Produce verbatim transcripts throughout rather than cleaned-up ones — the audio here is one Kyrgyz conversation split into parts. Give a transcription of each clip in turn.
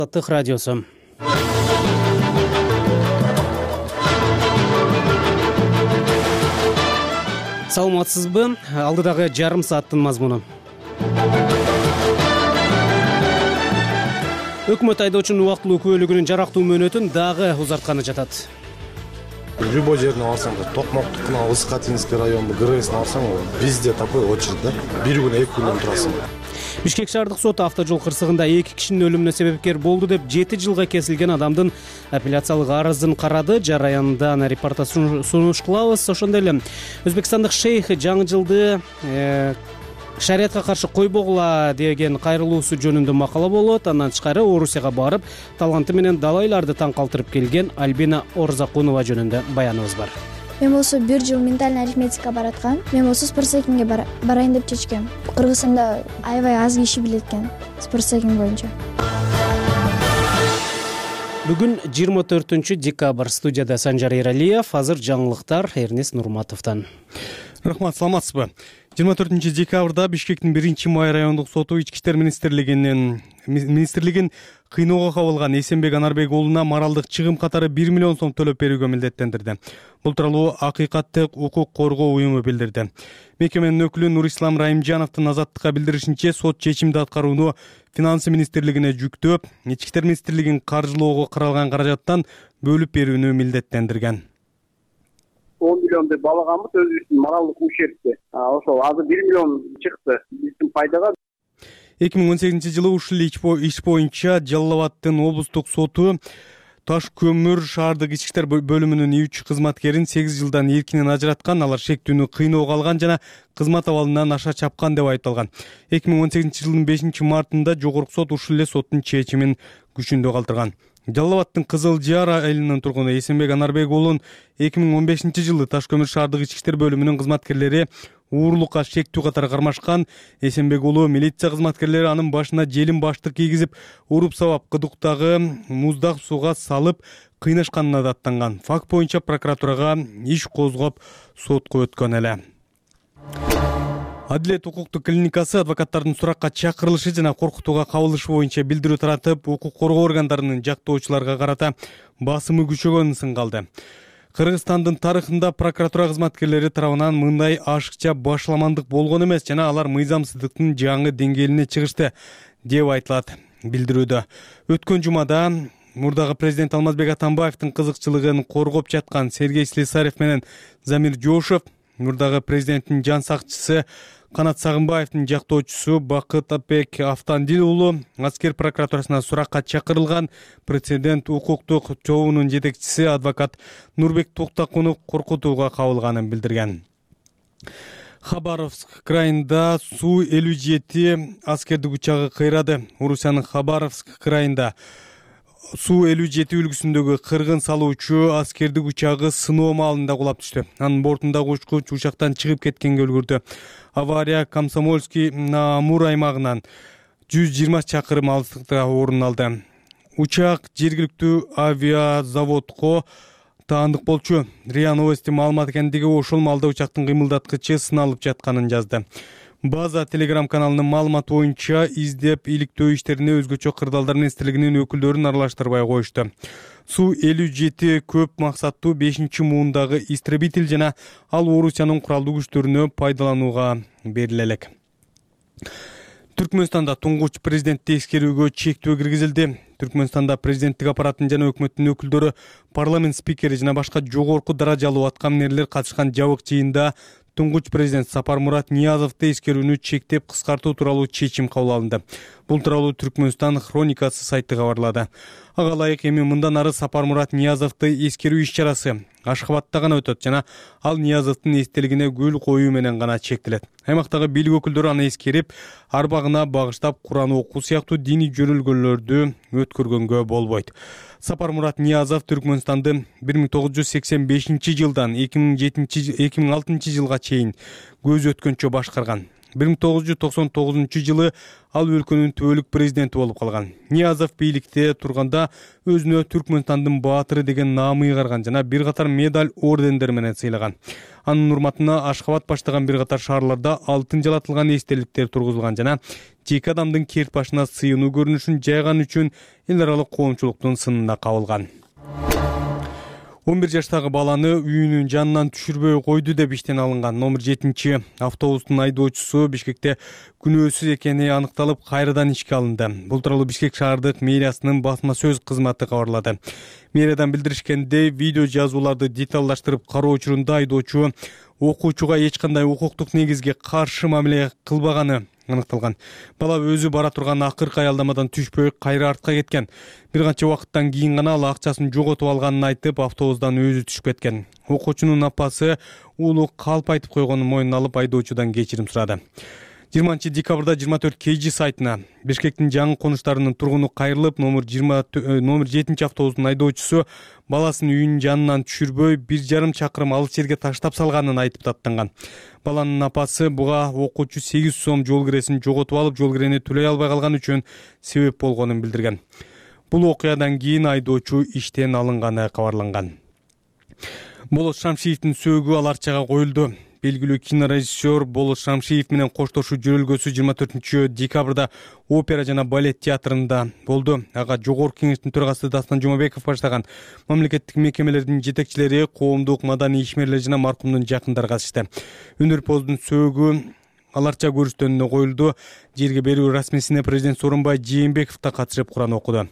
Азаттык радиосу. Саламатсызбы? Алдыдагы жарым сааттын мазмуну. Өкмөт айдоочунун убактылуу күбөлүгүнүн жарактуу мөөнөтүн дагы узартканы жатат. Любой жерине барсаң, Токмоктукуна, Ысыкатинский району, ГРСине барсаң, бизде такой очередь да. Бир күн, эки күндөн турасың. Бишкек шаардык соту автожол кырсыгында эки кишинин өлүмүнө себепкер болду деп жети жылга кесилген адамдын апелляциялык арызын карады. Жараяндан репортаж сунуш кылабыз. Ошондой эле өзбекстандык шейх жаңы жылды шариятка каршы койбогула деген кайрылуусу жөнүндө макала болот. Андан тышкары Орусияга барып, таланты менен далайларды таң калтырып келген Альбина Орзакунова жөнүндө баяныбыз бар. Мен болсо бир жыл ментальный арифметикага бараткам. Мен болсо спортсекинге барайын деп чечкем. Кыргызстанда аябай аз киши билет экен спортсекин боюнча. Бүгүн жыйырма төртүнчү декабрь. Студияда Санжар Эралиев. Азыр жаңылыктар Эрнес Нурматовдон. Рахмат, саламатсызбы? жыйырма төртүнчү декабрда Бишкектин биринчи май райондук соту Ички иштер министрлигинин министрлигин кыйноого кабылган Эсенбек Анарбек уулуна моралдык чыгым катары бир миллион сом төлөп берүүгө милдеттендирди. Бул тууралуу Акыйкаттык укук коргоо уюму билдирди. Мекеменин өкүлү Нурислам Райымжановдун Азаттыкка билдиришинче, сот чечимди аткарууну Финансы министрлигине жүктөп, Ички иштер министрлигин каржылоого каралган каражаттан бөлүп берүүнү милдеттендирген. он миллион деп балаганбыз өзүбүздүн моралдык ущербти. Ошол азыр бир миллион чыкты биздин пайдага. эки миң он сегизинчи жылы ушул иш боюнча Жалал Абаддын облустук соту Таш көмүр шаардык ички иштер бөлүмүнүн үч кызматкерин сегиз жылдан эркинен ажыраткан, алар шектүүнү кыйноого алган жана кызмат абалынан аша чапкан деп айыпталган. эки миң он сегизинчи жылдын бешинчи мартында жогорку сот ушул эле соттун чечимин күчүндө калтырган. Жалал Абаддын Кызыл Жар айылынын тургуну Эсенбек Анарбек уулун эки миң он бешинчи жылы Таш көмүр шаардык ички иштер бөлүмүнүн кызматкерлери уурулукка шектүү катары кармашкан. Эсенбек уулу милиция кызматкерлери анын башына желим баштык кийгизип, уруп сабап кыдыктагы муздак сууга салып кыйнашканына даттанган. Факт боюнча прокуратурага иш козгоп сотко өткөн эле. Адилет укуктук клиникасы адвокаттардын суракка чакырылышы жана коркутууга кабылышы боюнча билдирүү таратып, укук коргоо органдарынын жактоочуларга карата басымы күчөгөнүн сынгалды. Кыргызстандын тарыхында прокуратура кызматкерлери тарабынан мындай ашыкча башаламандык болгон эмес жана алар мыйзамсыздыктын жаңы деңгээлине чыгышты деп айтылат билдирүүдө. Өткөн жумада мурдагы президент Алмазбек Атамбаевдин кызыкчылыгын коргоп жаткан Сергей Слесарев менен Замир Жошев, мурдагы президенттин жан сакчысы Канат Сагынбаевдин жактоочусу Бакытбек Автандил уулу аскер прокуратурасына суракка чакырылган. Прецедент укуктук чогуунун жетекчиси адвокат Нурбек Токтакунов коркутууга кабылганын билдирген. Хабаровск крайында Су элүү жети аскердик учагы кыйрады. Орусиянын Хабаровск крайында Су элүү жети үлгүсүндөгү кыргын салуучу аскердик учагы сыноо маалында кулап түштү. Анын бортундагы учкуч учактан чыгып кеткенге үлгүрдү. Авария Комсомольский Амур аймагынан жүз жыйырма чакырым алыстыкта орун алды. Учак жергиликтүү авиазаводко таандык болчу. РИА Новости маалымат экендиги ошол маалда учактын кыймылдаткычы сыналып жатканын жазды. База Telegram каналынын маалыматы боюнча издеп иликтөө иштерине өзгөчө кырдаалдар министрлигинин өкүлдөрүн аралаштырбай коюшту. Су элүү жети көп максаттуу бешинчи муундагы истребитель жана ал Орусиянын куралдуу күчтөрүнө пайдаланууга бериле элек. Түркмөнстанда туңгуч президентти эскерүүгө чектөө киргизилди. Түркмөнстанда президенттик аппараттын жана өкмөттүн өкүлдөрү, парламент спикери жана башка жогорку даражалуу аткаминерлер катышкан жабык жыйында туңгуч президент Сапармурат Ниязовду эскерүүнү чектеп кыскартуу тууралуу чечим кабыл алынды. Бул тууралуу Түркмөнстан хроникасы сайты кабарлады. Ага ылайык эми мындан ары Сапармурат Ниязовду эскерүү иш-чарасы Ашхабадта гана өтөт жана ал Ниязовдун эстелигине гүл коюу менен гана чектелет. Аймактагы бийлик өкүлдөрү аны эскерип, арбагына багыштап Куран окуу сыяктуу диний жөнөлгөлөрдү өткөргөнгө болбойт. Сапармурат Ниязов Түркмөнстанды бир миң тогуз жүз сексен бешинчи жылдан эки миң алтынчы жылга чейин көз өткөнчө башкарган. бир миң тогуз жүз токсон тогузунчу жылы ал өлкөнүн түбөлүк президенти болуп калган. Ниязов бийликте турганда өзүнө Түркмөнстандын баатыры деген наам ыйгарган жана бир катар медаль, ордендер менен сыйлаган. Анын урматына Ашкабад баштаган бир катар шаарларда алтын жалатылган эстеликтер тургузулган жана жеке адамдын керт башына сыйынуу көрүнүшүн жайган үчүн эл аралык коомчулуктун сынына кабылган. он бир жаштагы баланы үйүнүн жанынан түшүрбөй койду деп иштен алынган номер жетинчи автобустун айдоочусу Бишкекте күнөөсүз экени аныкталып, кайрадан ишке алынды. Бул тууралуу Бишкек шаардык мэриясынын басма сөз кызматы кабарлады. Мэриядан билдиришкендей, видео жазууларды деталдаштырып кароо учурунда айдоочу окуучуга эч кандай укуктук негизге каршы мамиле кылбаганы аныкталган. Бала өзү бара турган акыркы аялдамадан түшпөй кайра артка кеткен. Бир канча убакыттан кийин гана ал акчасын жоготуп алганын айтып, автобустан өзү түшүп кеткен. Окуучунун апасы уулу калп айтып койгонун мойнуна алып, айдоочудан кечирим сурады. жыйырманчы декабрда жыйырма төрт кей жи сайтына Бишкектин жаңы конуштарынын тургуну кайрылып, номер жыйырма номер жетинчи автобустун айдоочусу баласын үйүнүн жанынан түшүрбөй бир жарым чакырым алыс жерге таштап салганын айтып даттанган. Баланын апасы буга окуучу сегиз сом жол киресин жоготуп алып, жол кирени төлөй албай калган үчүн себеп болгонун билдирген. Бул окуядан кийин айдоочу иштен алынганы кабарланган. Болот Шамшиевдин сөөгү ал арчага коюлду. Белгилүү кинорежиссер Болот Шамшиев менен коштошуу жөрөлгөсү жыйырма төртүнчү декабрда опера жана балет театрында болду. Ага жогорку кеңештин төрагасы Дастан Жумабеков баштаган мамлекеттик мекемелердин жетекчилери, коомдук маданий ишмерлер жана маркумдун жакындары катышты. Өнөрпоздун сөөгү ал арча көрүстөнүнө коюлду. Жерге берүү расмисине президент Сооронбай Жээнбеков да катышып Куран окуду.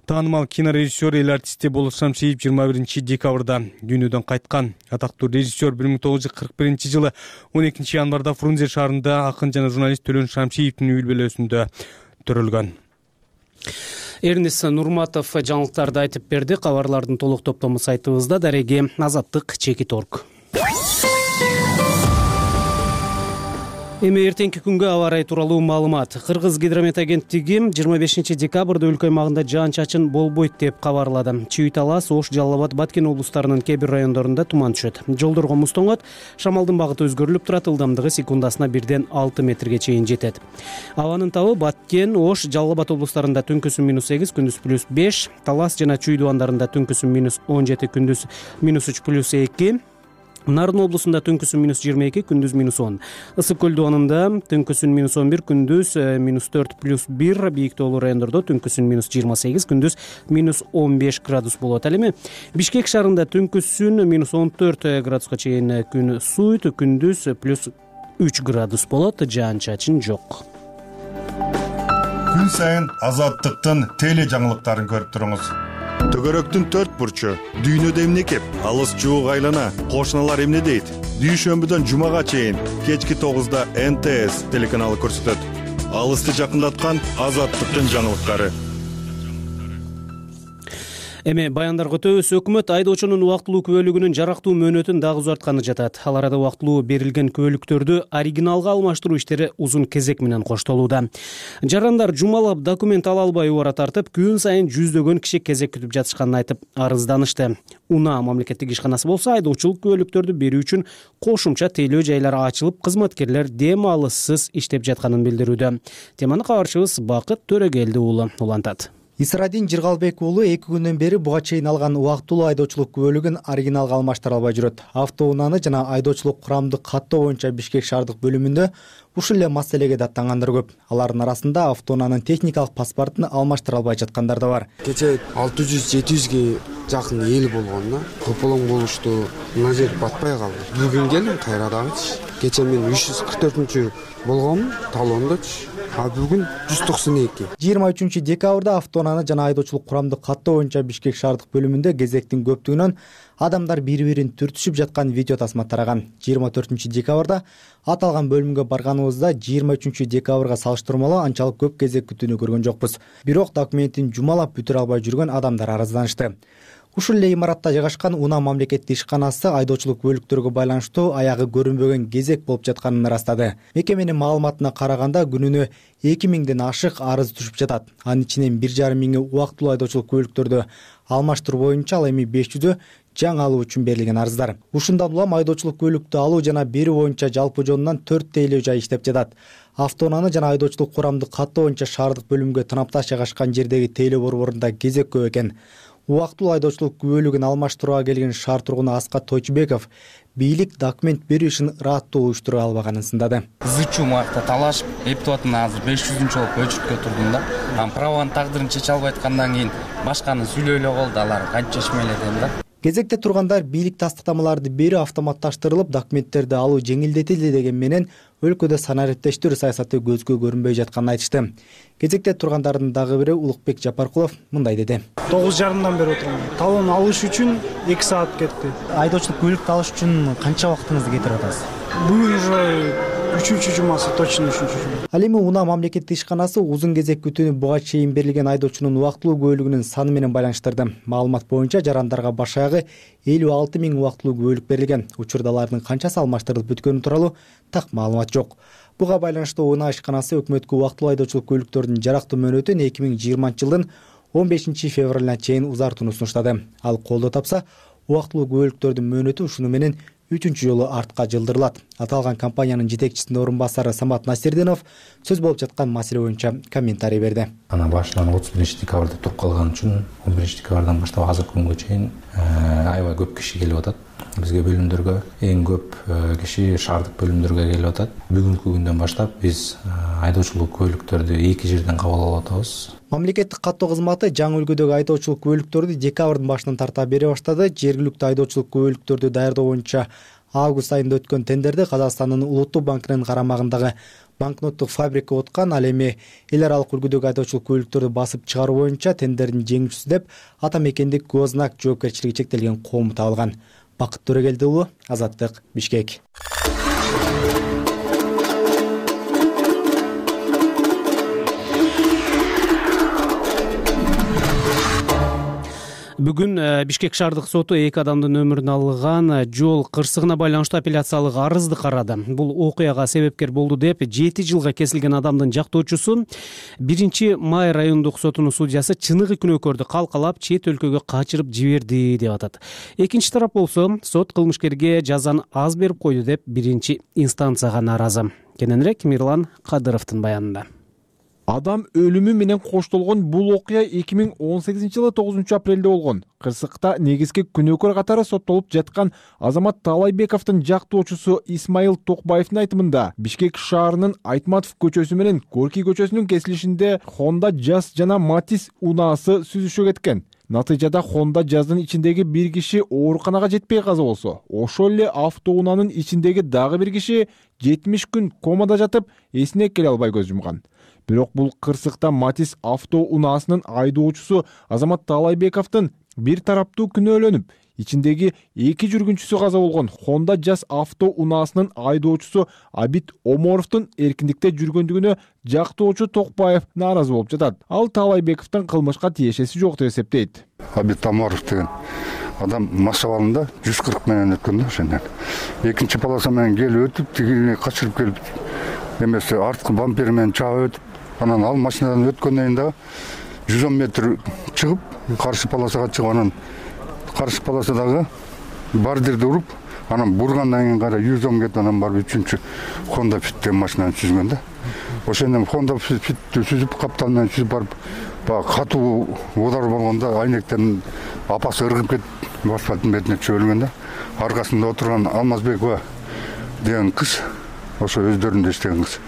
Таанымал кинорежиссер, эл артисти Болот Шамшиев жыйырма биринчи декабрда дүйнөдөн кайткан. Атактуу режиссер бир миң тогуз жүз кырк биринчи жылы он экинчи январда Фрунзе шаарында акын жана журналист Төлөн Шамшиевдин үй бүлөсүндө төрөлгөн. Эрнис Нурматов жаңылыктарды айтып берди. Кабарлардын толук топтому сайтыбызда. Дареги Азаттык Чекит орг. Эми эртеңки күнгө аба ырайы тууралуу маалымат. Кыргыз гидромет агенттиги жыйырма бешинчи декабрда өлкө аймагында жаан-чачын болбойт деп кабарлады. Чүй, Талас, Ош, Жалал Абад, Баткен облустарынын кээ бир райондорунда туман түшөт. Жолдорго муз тоңот, шамалдын багыты өзгөрүлүп турат, ылдамдыгы секундасына бирден алты метрге чейин жетет. Абанын табы Баткен, Ош, Жалал Абад облустарында түнкүсүн минус сегиз, күндүз плюс беш, Талас жана Чүй дубандарында түнкүсүн минус он жети, күндүз минус үч плюс эки, Нарын облусунда түнкүсүн минус жыйырма эки, күндүз минус он. Ысык көл дубанында түнкүсүн минус он бир, күндүз минус төрт плюс бир, бийик тоолуу райондордо түнкүсүн минус жыйырма сегиз, күндүз минус он беш градус болот. Ал эми Бишкек шаарында түнкүсүн минус он төрт градуска чейин күн сууйт, күндүз плюс үч градус болот, жаан-чачын жок. Күн сайын Азаттыктын теле жаңылыктарын көрүп туруңуз. Төгөрөктүн төрт бурчу, дүйнөдө эмне кеп, алыс жуук айлана, кошуналар эмне дейт? Дүйшөмбүдөн жумага чейин кечки тогузда эн тэ эс телеканалы көрсөтөт. Алысты жакындаткан Азаттыктын жаңылыктары. Эми баяндарга өтөбүз. Өкмөт айдоочунун убактылуу күбөлүгүнүн жарактуу мөөнөтүн дагы узартканы жатат. Ал арада убактылуу берилген күбөлүктөрдү оригиналга алмаштыруу иштери узун кезек менен коштолууда. Жарандар жумалап документ ала албай убара тартып, күн сайын жүздөгөн киши кезек күтүп жатышканын айтып арызданышты. Уна мамлекеттик ишканасы болсо айдоочулук күбөлүктөрдү берүү үчүн кошумча тейлөө жайлар ачылып, кызматкерлер дем алыссыз иштеп жатканын билдирүүдө. Теманы кабарчыбыз Бакыт Төрөгелди уулу улантат. Исрадин Жыргалбек уулу эки күндөн бери буга чейин алган убактылуу айдоочулук күбөлүгүн оригиналга алмаштыра албай жүрөт. Автоунааны жана айдоочулук курамды каттоо боюнча Бишкек шаардык бөлүмүндө ушул эле маселеге даттангандар көп. Алардын арасында автоунаанын техникалык паспортун алмаштыра албай жаткандар да бар. Кече алты жүз жети жүзгө жакын эл болгон да. Кополоң болушту. Мына жер батпай калды. Бүгүн келдим кайрадагычы. Кече мен үч жүз кырк төртүнчү болгонмун, талондочу. А бүгүн жүз токсон эки. жыйырма үчүнчү декабрда автоунааны жана айдоочулук курамды каттоо боюнча Бишкек шаардык бөлүмүндө кезектин көптүгүнөн адамдар бири-бирин түртүшүп жаткан видео тасма тараган. жыйырма төртүнчү декабрда аталган бөлүмгө барганыбызда жыйырма үчүнчү декабрга салыштырмалуу анчалык көп кезек күтүүнү көргөн жокпуз. Бирок документин жумалап бүтүрө албай жүргөн адамдар арызданышты. Ушул эле имаратта жайгашкан Уна мамлекеттик ишканасы айдоочулук күбөлүктөргө байланыштуу аягы көрүнбөгөн кезек болуп жатканын ырастады. Мекеменин маалыматына караганда күнүнө эки миңден ашык арыз түшүп жатат. Анын ичинен бир жарым миңи убактылуу айдоочулук күбөлүктөрдү алмаштыруу боюнча, ал эми беш жүзү жаңы алуу үчүн берилген арыздар. Ушундан улам айдоочулук көлүктү алуу жана берүү боюнча жалпы жонунан төрт тейлөө жай иштеп жатат. Автоунааны жана айдоочулук курамды каттоо боюнча шаардык бөлүмгө танапташ жайгашкан жердеги тейлөө борборунда кезек көп экен. Убактылуу айдоочулук күбөлүгүн алмаштырууга келген шаар тургуну Аскат Тойчубеков бийлик документ берүү ишин ыраттуу уюштура албаганын сындады. Зычу муакта талашып, эптеп атына азыр беш жүзүнчү болуп өчүрткө турдум да. Анан праванын тагдырын чече албай аткандан кийин башканы сүйлөй эле калды, алар канча чечме эле да. Кезекте тургандар бийлик тастыктамаларды берүү автоматташтырылып, документтерди алуу жеңилдетилди деген менен өлкөдө санариптештирүү саясаты көзгө көрүнбөй жатканын айтышты. Кезекте тургандардын дагы бири Улукбек Жапаркулов мындай деди. тогуз жарымдан бери отурам. Талон алыш үчүн эки саат кетти. Айдоочулук көлүктү алыш үчүн канча убактыңызды кетирип атасыз? Бүгүн уже үчүнчү жумасы, точно үчүнчү жума. Ал эми Унаа мамлекеттик ишканасы узун кезек күтүүнү буга чейин берилген айдоочунун убактылуу күбөлүгүнүн саны менен байланыштырды. Маалымат боюнча жарандарга баш аягы элүү алты миң убактылуу күбөлүк берилген. Учурда алардын канчасы алмаштырылып бүткөнү тууралуу так маалымат жок. Буга байланыштуу Унаа ишканасы өкмөткө убактылуу айдоочулук көлүктөрдүн жарактуу мөөнөтүн эки миң жыйырманчы жылдын он бешинчи февралына чейин узартууну сунуштады. Ал колдоо тапса, убактылуу күбөлүктөрдүн мөөнөтү ушуну менен үчүнчү жолу артка жылдырылат. Аталган компаниянын жетекчисинин орун басары Самат Насирдинов сөз болуп жаткан маселе боюнча комментарий берди. Ана башынан отуз биринчи декабрда туруп калган үчүн он биринчи декабрдан баштап азыркы күнгө чейин аябай көп киши келип атат. Бизге бөлүмдөргө эң көп киши шаардык бөлүмдөргө келип атат. Бүгүнкү күндөн баштап биз айдоочулук көлүктөрдү эки жерден кабыл алып атабыз. Мамлекеттик каттоо кызматы жаңы үлгүдөгү айдоочулук күбөлүктөрдү декабрдын башынан тарта бере баштады. Жергиликтүү айдоочулук күбөлүктөрдү даярдоо боюнча август айында өткөн тендерди Казакстандын Улуттук банкынын карамагындагы банкноттук фабрика уткан. Ал эми эл аралык үлгүдөгү айдоочулук күбөлүктөрдү басып чыгаруу боюнча тендердин жеңүүчүсү деп ата мекендик Гознак жоопкерчилиги чектелген коому табылган. Бакыт Төрөгелди уулу, Азаттык, Бишкек. Бүгүн Бишкек шаардык соту эки адамдын өмүрүн алган жол кырсыгына байланыштуу апелляциялык арызды карады. Бул окуяга себепкер болду деп жети жылга кесилген адамдын жактоочусу биринчи май райондук сотунун судьясы чыныгы күнөөкөрдү калкалап чет өлкөгө качырып жиберди деп атат. Экинчи тарап болсо сот кылмышкерге жазаны аз берип койду деп биринчи инстанцияга нааразы. Кененирээк Мирлан Кадыровдун баянында. Адам өлүмү менен коштолгон бул окуя эки миң он сегизинчи жылы тогузунчу апрелде болгон. Кырсыкта негизги күнөөкөр катары соттолуп жаткан Азамат Таалайбековдун жактоочусу Исмаил Токбаевдин айтымында Бишкек шаарынын Айтматов көчөсү менен Горький көчөсүнүн кесилишинде Honda Jazz жана Matiz унаасы сүзүшө кеткен. Натыйжада Honda Jazz'дын ичиндеги бир киши ооруканага жетпей каза болсо, ошол эле автоунаанын ичиндеги дагы бир киши жетимиш күн комада жатып, эсине келе албай көз жумган. Бирок бул кырсыкта Matiz автоунаасынын айдоочусу Азамат Таалайбековдун бир тараптуу күнөөлөнүп, ичиндеги эки жүргүнчүсү каза болгон Honda Jazz автоунаасынын айдоочусу Абит Оморовдун эркиндикте жүргөндүгүнө жактоочу Токбаев нааразы болуп жатат. Ал Таалайбековдун кылмышка тиешеси жок деп эсептейт. Абит Оморов деген адам машабалында жүз кырк менен өткөн да ошондон. Экинчи полоса менен келип өтүп, тигине качырып келип, эмесе арткы бампер менен чаап өтүп, анан ал машинадан өткөндөн кийин дагы жүз он метр чыгып, каршы полосага чыгып, анан каршы полосадагы бардирди уруп, анан бургандан кийин кара жүз он кетип, анан барып үчүнчү Honda Fit деген машинаны сүзгөн да. Ошондон Honda Fitти сүзүп, каптал менен сүзүп барып, баягы катуу удар болгондо айнектердин апасы ыргып кетип, асфальттын бетине чөп өлгөн да. Аркасында отурган Алмазбекова деген кыз, ошо өздөрүндө иштеген кыз.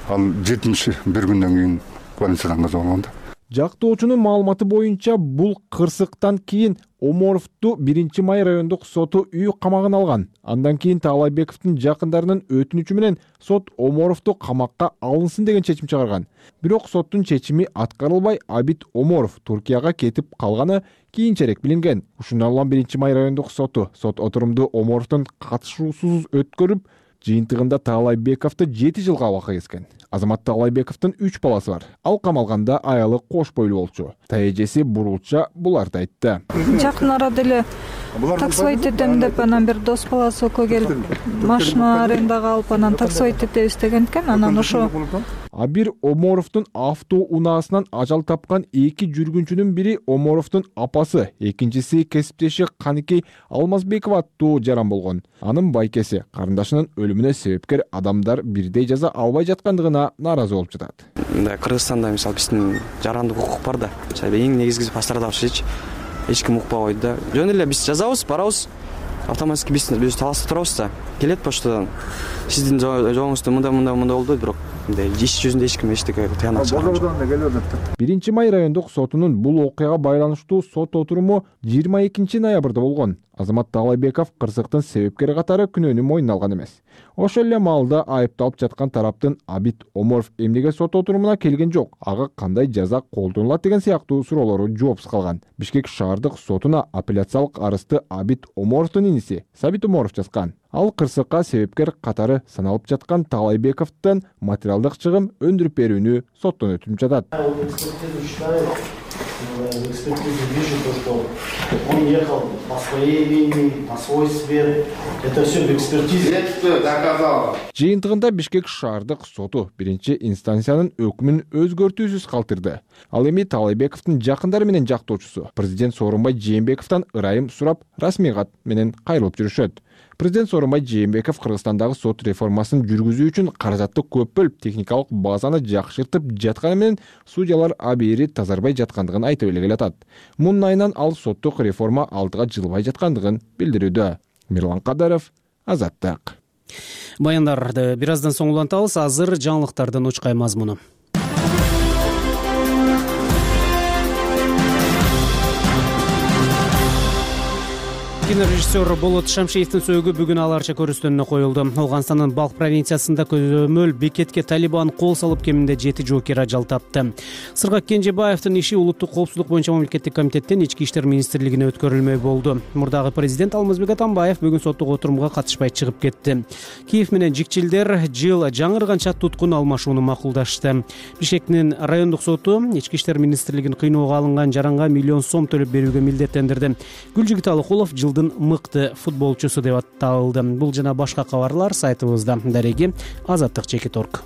Ал жетимиш бир күндөн кийин больницадан каза болгон да. Жактоочунун маалыматы боюнча бул кырсыктан кийин Оморовду биринчи май райондук соту үй камагына алган. Андан кийин Таалайбековдун жакындарынын өтүнүчү менен сот Оморовду камакка алынсын деген чечим чыгарган. Бирок соттун чечими аткарылбай, Абит Оморов Туркияга кетип калганы кийинчерээк билинген. Ушундан улам биринчи май райондук соту сот отурумду Оморовдун катышуусуз өткөрүп, жыйынтыгында Таалайбековду жети жылга абакка кескен. Азамат Таалайбековдун үч баласы бар. Ал камалганда аялы кош бойлуу болчу. Таэжеси бурулча буларды айтты. Жакын арада эле таксовать этем деп анан бир дос баласы экөө келип машина арендага алып, анан таксовать этебиз деген экен. Анан ошо Абир Оморовдун автоунаасынан ажал тапкан эки жүргүнчүнүн бири Оморовдун апасы, экинчиси кесиптеши Каныкей Алмазбекова аттуу жаран болгон. Анын байкеси карындашынын өлүмүнө себепкер адамдар бирдей жаза албай жаткандыгына нааразы болуп жатат. Мындай Кыргызстанда мисалы биздин жарандык укук бар да. Эң негизгиси пострадавшийчи эч ким укпабайт да. Жөн эле биз жазабыз, барабыз. Автоматически биз биз таласта турабыз да. Келет поштадан. Сиздин жоңуңузда мындай мындай мындай болду, бирок мындай иш жүзүндө эч ким эчтеке тыянак чыгарбайт. биринчи май райондук сотунун бул окуяга байланыштуу сот отуруму жыйырма экинчи ноябрда болгон. Азамат Таалайбеков кырсыктын себепкери катары күнөөнү мойнуна алган эмес. Ошол эле маалда айыпталып жаткан тараптын Абит Оморов эмнеге сот отурумуна келген жок, ага кандай жаза колдонулат деген сыяктуу суроолору жоопсуз калган. Бишкек шаардык сотуна апелляциялык арызды Абит Оморовдун иниси Сабит Оморов жазган. Ал кырсыкка себепкер катары саналып жаткан Таалайбековдон материалдык чыгым өндүрүп берүүнү соттон өтүнүп жатат. В экспертизе вижу то, что он ехал по своей линии, по свойстве. Это все в экспертизе. Доказало. Жыйынтыгында Бишкек шаардык соту биринчи инстанциянын өкмүн өзгөртүүсүз калтырды. Ал эми Таалайбековдун жакындары менен жактоочусу президент Сооронбай Жээнбековдон ырайым сурап, расмий кат менен кайрылып жүрүшөт. Президент Сооронбай Жээнбеков Кыргызстандагы сот реформасын жүргүзүү үчүн каражатты көп бөлүп, техникалык базаны жакшыртып жатканы менен судьялар абийири тазарбай жаткандыгын айтып эле келатат. Мунун айынан ал соттук реформа алдыга жылбай жаткандыгын билдирүүдө. Мирлан Кадаров, Азаттык. Баяндарды бир аздан соң улантабыз. Азыр жаңылыктардын учкай мазмуну. Кинорежиссер Болот Шамшиевдин сөөгү бүгүн аларча көрүстөнүнө коюлду. Ауганстандын Балк провинциясында көзөмөл бекетке Талибан кол салып кеминде жети жоокер ажал тапты. Сыргак Кенжебаевдин иши улуттук коопсуздук боюнча мамлекеттик комитеттен ички иштер министрлигине өткөрүлмөй болду. Мурдагы президент Алмазбек Атамбаев бүгүн соттук отурумга катышпай чыгып кетти. Киев менен жикчилдер жыл жаңырганча туткун алмашууну макулдашты. Бишкектин райондук соту ички иштер министрлигин кыйноого алынган жаранга миллион сом төлөп берүүгө милдеттендирди. Гүлжигит Алыкулов жылдын мыкты футболчусу деп аталды. Бул жана башка кабарлар сайтыбызда. Дареги Азаттык чекит точка орг.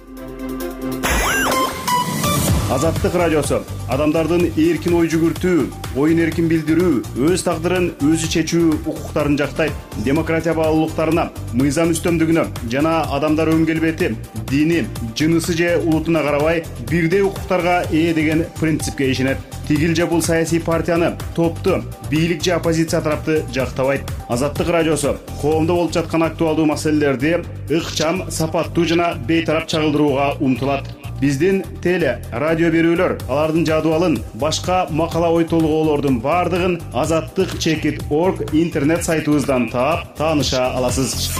Азаттык радиосу адамдардын эркин ой жүгүртүү, оюн эркин билдирүү, өз тагдырын өзү чечүү укуктарын жактайт. Демократия баалуулуктарына, мыйзам үстөмдүгүнө жана адамдар өң келбети, дини, жынысы же улутуна карабай бирдей укуктарга ээ деген принципке ишенет. Тигил же бул саясий партияны, топту, бийлик же оппозиция тарапты жактабайт. Азаттык радиосу коомдо болуп жаткан актуалдуу маселелерди ыкчам, сапаттуу жана бейтарап чагылдырууга умтулат. Биздин теле, радио берүүлөр, алардын жадыбалын, башка макала ой толгоолордун бардыгын азаттык чекит точка орг интернет сайтыбыздан таап, тааныша аласыз.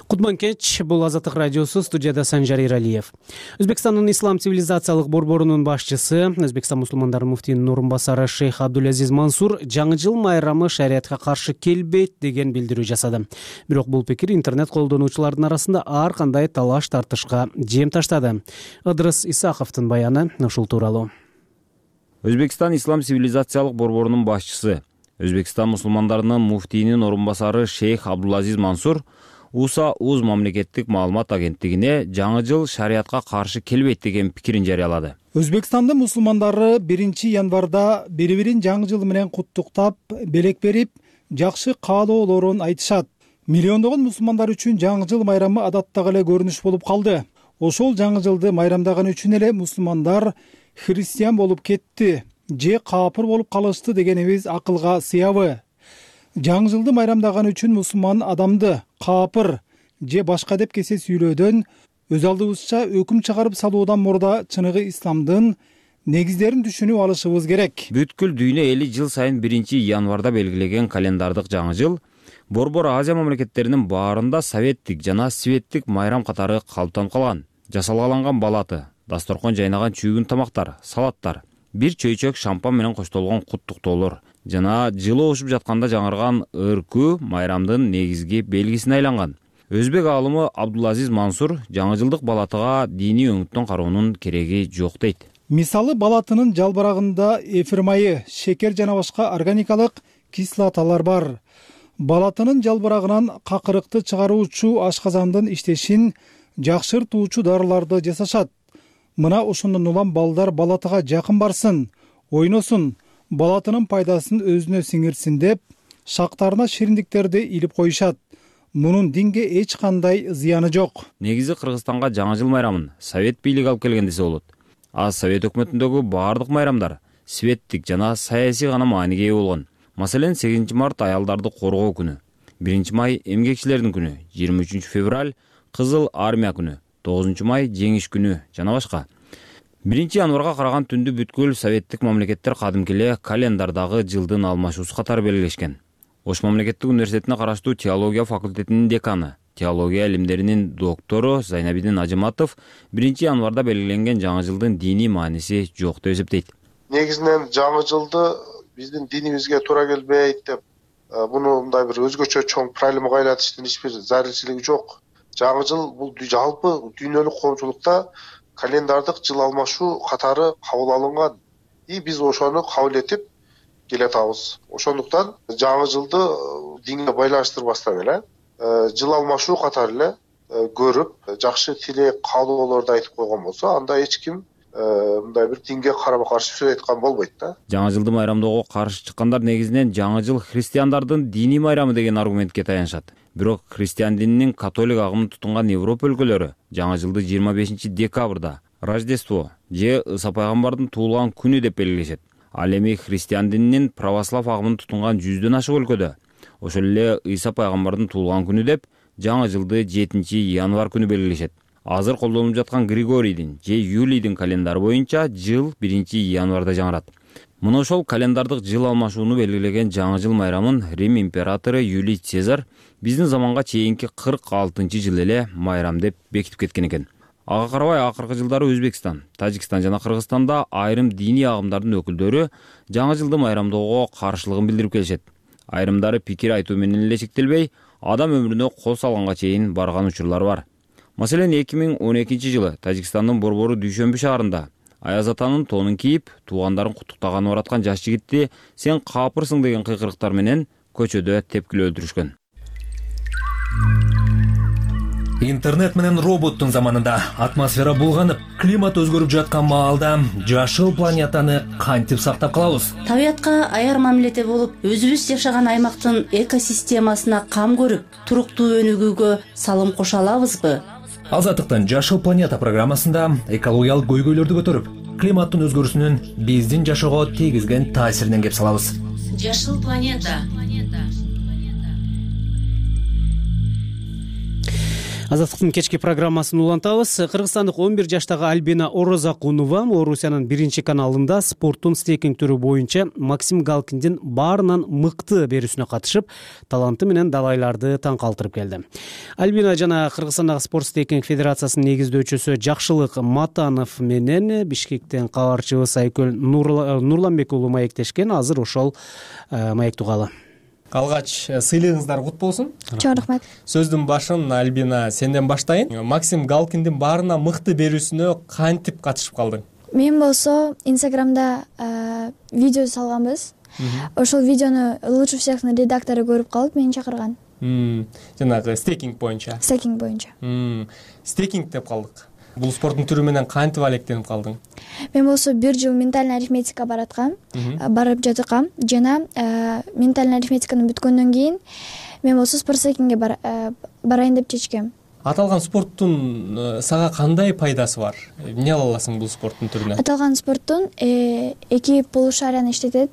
Кутман кеч, бул Азаттык радиосу, студияда Санжар Иралиев. Өзбекстандын ислам цивилизациялык борборунун башчысы, Өзбекстан мусулмандары муфтийинин орун басары Шейх Абдулазиз Мансур жаңы жыл майрамы шариатка каршы келбейт деген билдирүү жасады. Бирок бул пикир интернет колдонуучулардын арасында ар кандай талаш тартышка жем таштады. Ыдрыс Исаковдун баяны ушул тууралуу. Өзбекстан ислам цивилизациялык борборунун башчысы, Өзбекстан мусулмандарынын муфтийинин орун басары Шейх Абдулазиз Мансур УСА УЗ мамлекеттик маалымат агенттигине жаңы жыл шариатка каршы келбейт деген пикирин жарыялады. Өзбекстандын мусулмандары биринчи январда бири-бирин жаңы жыл менен куттуктап, белек берип, жакшы каалоолорун айтышат. Миллиондогон мусулмандар үчүн жаңы жыл майрамы адаттагы эле көрүнүш болуп калды. Ошол жаңы жылды майрамдаган үчүн эле мусулмандар христиан болуп кетти же капыр болуп калышты дегенибиз акылга сыябы. Жаңы жылды майрамдаган үчүн мусулман адамды капыр же башка деп кесе сүйлөөдөн өз алдыбызча өкүм чыгарып салуудан мурда чыныгы исламдын негиздерин түшүнүп алышыбыз керек. Бүткүл дүйнө эли жыл сайын биринчи январда белгилеген календардык жаңы жыл Борбор Азия мамлекеттеринин баарында советтик жана светтик майрам катары калыптанып калган. Жасалгаланган балаты, дасторкон жайнаган чүйгүн тамактар, салаттар, бир чөйчөк шампан менен коштолгон куттуктоолор жана жылы ушуп жатканда жаңырган ыркүү майрамдын негизги белгисине айланган. Өзбек аалымы Абдулазиз Мансур жаңы жылдык балатыга диний өңүттөн кароонун кереги жок дейт. Мисалы балатынын жалбырагында эфир майы, шекер жана башка органикалык кислоталар бар. Балатынын жалбырагынан какырыкты чыгаруучу ашказандын иштешин жакшыртуучу дарыларды жасашат. Мына ошондон улам балдар балатыга жакын барсын, ойносун, балатынын пайдасын өзүнө сиңирсин деп шактарына шириндиктерди илип коюшат. Мунун динге эч кандай зыяны жок. Негизи Кыргызстанга жаңы жыл майрамын совет бийлиги алып келген десе болот. А совет өкмөтүндөгү баардык майрамдар светтик жана саясий гана мааниге ээ болгон. Маселен, сегизинчи март аялдарды коргоо күнү, биринчи май эмгекчилердин күнү, жыйырма үчүнчү февраль Кызыл армия күнү, тогузунчу май жеңиш күнү жана башка. биринчи январга караган түндү бүткүл советтик мамлекеттер кадимки эле календардагы жылдын алмашуусу катары белгилешкен. Ош мамлекеттик университетине караштуу теология факультетинин деканы, теология илимдеринин доктору Зайнабидин Ажыматов биринчи январда белгиленген жаңы жылдын диний мааниси жок деп эсептейт. Негизинен жаңы жылды биздин динибизге туура келбейт деп, муну мындай бир өзгөчө чоң проблемага айлантыштын эч бир зарилчилиги жок. Жаңы жыл бул жалпы дүйнөлүк коомчулукта календардык жыл алмашуу катары кабыл алынган. И биз ошону кабыл этип келатабыз. Ошондуктан жаңы жылды динге байланыштырбастан эле жыл алмашуу катары эле көрүп, жакшы тилек, каалоолорду айтып койгон болсо, анда эч ким мындай бир динге карама каршы сөз айткан болбойт да. Жаңы жылды майрамдоого каршы чыккандар негизинен жаңы жыл христиандардын диний майрамы деген аргументке таянышат. Бирок христиан дининин католик агымын тутунган Европа өлкөлөрү жаңы жылды жыйырма бешинчи декабрда Рождество же Ыса пайгамбардын туулган күнү деп белгилешет. Ал эми христиан дининин православ агымын тутунган жүздөн ашык өлкөдө ошол эле Ыйса пайгамбардын туулган күнү деп жаңы жылды жетинчи январь күнү белгилешет. Азыр колдонулуп жаткан Григорийдин же Юлийдин календары боюнча жыл биринчи январда жаңырат. Мына ошол календардык жыл алмашууну белгилеген жаңы жыл майрамын Рим императору Юлий Цезарь биздин заманга чейинки кырк алтынчы жыл эле майрам деп бекитип кеткен экен. Ага карабай акыркы жылдары Өзбекстан, Тажикстан жана Кыргызстанда айрым диний агымдардын өкүлдөрү жаңы жылды майрамдоого каршылыгын билдирип келишет. Айрымдары пикир айтуу менен эле чектелбей, адам өмүрүнө кол салганга чейин барган учурлар бар. Маселен, эки миң он экинчи жылы Тажикстандын Борбору Дүйшөмбү шаарында Аяз атанын тонун кийип, туугандарын куттуктаганын ураткан жаш жигитти сен капырсың деген кыйкырыктар менен көчөдө тепкилеп өлтүрүшкөн. Интернет менен роботтун заманында атмосфера булганып, климат өзгөрүп жаткан маалда жашыл планетаны кантип сактап калабыз? Табиятка аяр мамиледе болуп, өзүбүз жашаган аймактын экосистемасына кам көрүп, туруктуу өнүгүүгө салым кошо алабызбы? Азаттыктын жашыл планета программасында экологиялык көйгөйлөрдү көтөрүп, климаттын өзгөрүүсүнүн биздин жашоого тийгизген таасиринен кеп салабыз. Жашыл планета. Азаттыктын кечки программасын улантабыз. Кыргызстандык он бир жаштагы Альбина Орозакунова Орусиянын биринчи каналында спорттун стейкинг түрү боюнча Максим Галкиндин баарынан мыкты берүүсүнө катышып, таланты менен далайларды таң калтырып келди. Альбина жана Кыргызстандагы спорт стейкинг федерациясынын негиздөөчүсү Жакшылык Матанов менен Бишкектен кабарчыбыз Айкөл Нурланбек уулу маектешкен. Азыр ошол маекти угалы. Алгач сыйлыгыңыздар кут болсун. Чоң рахмат. Сөздүн башын Альбина сенден баштайын. Максим Галкиндин баарына мыкты берүүсүнө кантип катышып калдың? Мен болсо Инстаграмда видео салганбыз. Ошол видеону лучше всехтин редактору көрүп калып, мени чакырган. Жанагы стейкинг боюнча. Стейкинг боюнча. Стейкинг деп калдык. Бул спорттун түрү менен кантип алектенип калдың? Мен болсо бир жыл ментальный арифметика бараткам, барып жаткам жана ментальный арифметиканы бүткөндөн кийин мен болсо спорт стейкингге барайын деп чечкем. Аталган спорттун сага кандай пайдасы бар? Эмне ала аласың бул спорттун түрүнөн? Аталган спорттун эки полушарияны иштетет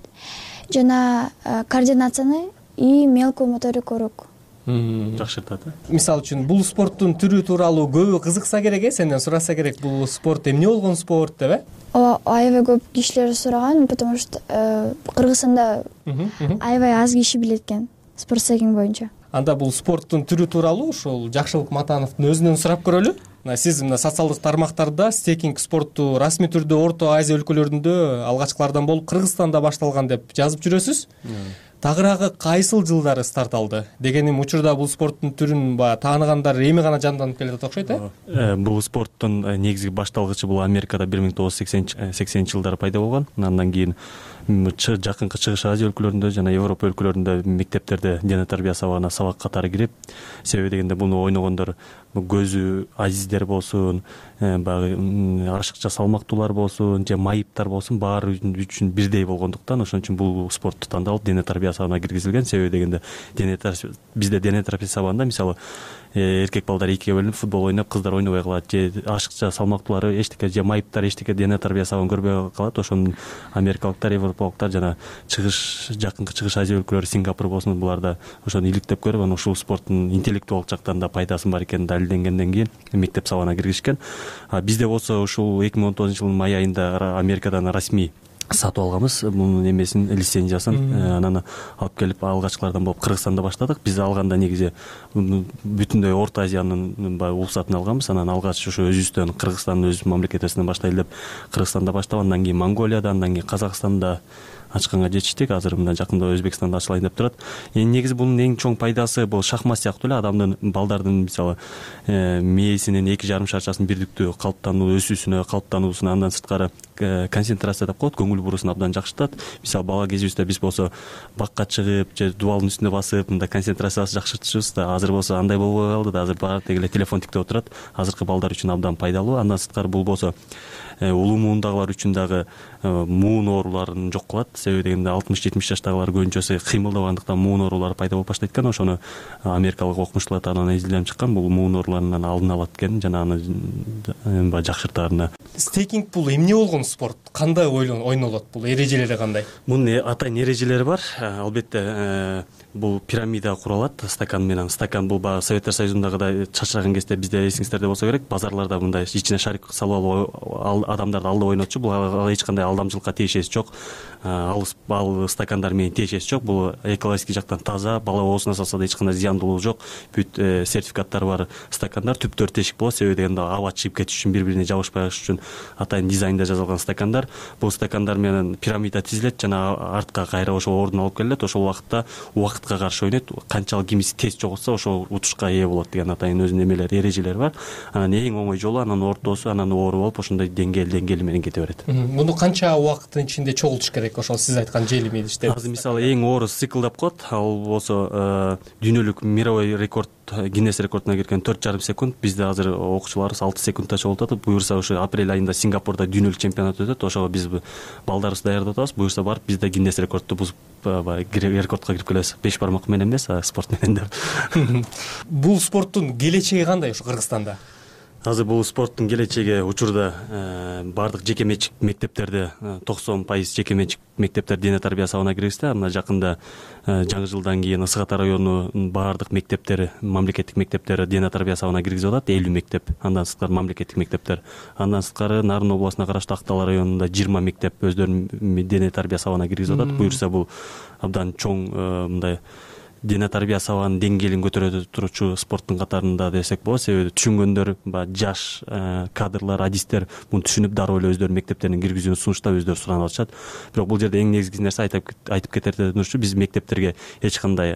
жана координацияны и мелкую моторикуру жакшыртат. Мисалы үчүн бул спорттун түрү тууралуу көбү кызыкса керек, э, сенден сураса керек, бул спорт эмне болгон спорт деп, э? Ооба, аябай көп кишилер сураган, потому что Кыргызстанда аябай аз киши билет экен спорт стейкинг боюнча. Анда бул спорттун түрү тууралуу ошол Жакшылык Матановдун өзүнөн сурап көрөлү. Сиз мына социалдык тармактарда стейкинг спорту расмий түрдө Орто Азия өлкөлөрүндө алгачкылардан болуп Кыргызстанда башталган деп жазып жүрөсүз. Тагыраагы кайсыл жылдары старт алды? Дегеним учурда бул спорттун түрүн баягы тааныгандар эми гана жанданып келет окшойт, э? Бул спорттун негизги башталгычы бул Америкада бир миң тогуз жүз сексенинчи жылдары пайда болгон. Андан кийин жакынкы Чыгыш Азия өлкөлөрүндө жана Европа өлкөлөрүндө мектептерде дене тарбия сабагына сабак катары кирип, себеби дегенде буну ойногондор көзү азиздер болсун, баягы ашыкча салмактуулар болсун же майыптар болсун, баары үчүн бирдей болгондуктан ошон үчүн бул спортту тандалып дене тарбия сабына киргизилген. Себеби дегенде дене бизде дене тарбия сабында мисалы эркек балдар экиге бөлүнүп футбол ойноп, кыздар ойнобой калат, же ашыкча салмактуулары эчтеке, же майыптар эчтеке дене тарбия сабын көрбөй калат. Ошону америкалыктар, европалыктар жана чыгыш жакынкы чыгыш Азия өлкөлөрү, Сингапур болсун, буларда ошону иликтеп көрүп, анан ушул спорттун интеллектуалдык жактан да пайдасы бар экени далилденгенден кийин мектеп сабына киргизишкен. Бизде болсо ушул эки миң он тогузунчу жылдын май айында Америкадан расмий сатып алганбыз мунун эмесин, лицензиясын. Анан алып келип алгачкылардан болуп Кыргызстанда баштадык. Биз алганда негизи бүтүндөй Орто Азиянын уруксатын алганбыз. Анан алгач ушу өзүбүздөн, Кыргызстандын өз мамлекетибизден баштайлы деп Кыргызстанда баштап, андан кийин Монголияда, андан кийин Казакстанда ачканга жетиштик. Азыр мына жакында Өзбекстанда ачылайын деп турат. Эми негизи бунун эң чоң пайдасы бул шахмат сыяктуу эле адамдын, балдардын мисалы мээсинин эки жарым шарчасынын бирдиктүү калыптануу, өсүүсүнө, калыптануусуна, андан сырткары концентрация деп коет, көңүл буруусун абдан жакшыртат. Мисалы бала кезибизде биз болсо бакка чыгып же дубалдын үстүнө басып мындай концентрациябызды жакшыртчубуз да. Азыр болсо андай болбой калды да. Азыр баары теги эле телефон тиктеп отурат. Азыркы балдар үчүн абдан пайдалуу. Андан сырткары бул болсо улуу муундагылар үчүн дагы муун ооруларын жок кылат. Себеби дегенде алтымыш жетимиш жаштагылар көбүнчөсү кыймылдабагандыктан муун оорулары пайда болуп баштайт экен. Ошону америкалык окумуштуулар анан изилденип чыккан. Бул муун ооруларынан алдын алат экен жана аны баягы жакшыртаарына. Стейкинг бул эмне болгон спорт? Кандай ойнолот? Бул эрежелери кандай? Мунун атайын эрежелери бар. Албетте бул пирамида куралат стакан менен. Стакан бул баягы Советтер Союзундагыдай чачыраган кезде бизде эсиңиздерде болсо керек, базарларда мындай ичине шарик салып алып адамдарды алдап ойнотчу. Бул эч кандай алдамчылыкка тиешеси жок. Ал ал стакандар менен тиешеси жок. Бул экологический жактан таза, бала оозуна салса да эч кандай зыяндуулугу жок. Бүт сертификаттары бар стакандар. Түп төрт тешик болот. Себеби дегенде аба чыгып кетиш үчүн, бири-бирине жабышпай калыш үчүн атайын дизайнда жасалган стакандар. Бул стакандар менен пирамида тизилет жана артка кайра ошол ордуна алып келет. Ошол убакытта убакытка каршы ойнойт. Канчалык кимиси тез жоготсо ошол утушка ээ болот деген атайын өзүнүн эмелери, эрежелери бар. Анан эң оңой жолу анан ортосу, анан оору болуп ошондой деңгээл деңгээли менен кете берет. Муну канча убакыттын ичинде чогултуш керек? Ошол сиз айткан жели мелиштер. Азыр мисалы эң оору цикл деп коет. Ал болсо дүйнөлүк мировой рекорд, Гиннес рекордуна кирген төрт жарым секунд. Бизде азыр окуучуларыбыз алты секундта чогултат. Буюрса ушу апрель айында Сингапурда дүйнөлүк чемпионат өтөт. Ошого биз балдарыбызды даярдап атабыз. Буюрса барып бизде Гиннес рекордду бузуп рекордко кирип келебиз. Беш бармак менен эмес, спорт менен деп. Бул спорттун келечеги кандай ушу Кыргызстанда? Азыр бул спорттун келечеги учурда баардык жеке менчик мектептерде токсон пайыз жеке менчик мектептер дене тарбия сабына киргизди. Мына жакында жаңы жылдан кийин Ысык Ата районунун баардык мектептери, мамлекеттик мектептери дене тарбия сабына киргизип атат. элүү мектеп, андан сырткары мамлекеттик мектептер. Андан сырткары Нарын областына караштуу Актал районунда жыйырма мектеп өздөрүнүн дене тарбия сабына киргизип атат. Буюрса бул абдан чоң мындай дене тарбия сабанын деңгээлин көтөрө турчу спорттун катарында десек болот. Себеби түшүнгөндөр, баягы жаш кадрлар, адистер муну түшүнүп дароо эле өздөрүнүн мектептерин киргизүүнү сунуштап өздөрү суранып атышат. Бирок бул жерде эң негизги нерсе айтып кетерден бир, биз мектептерге эч кандай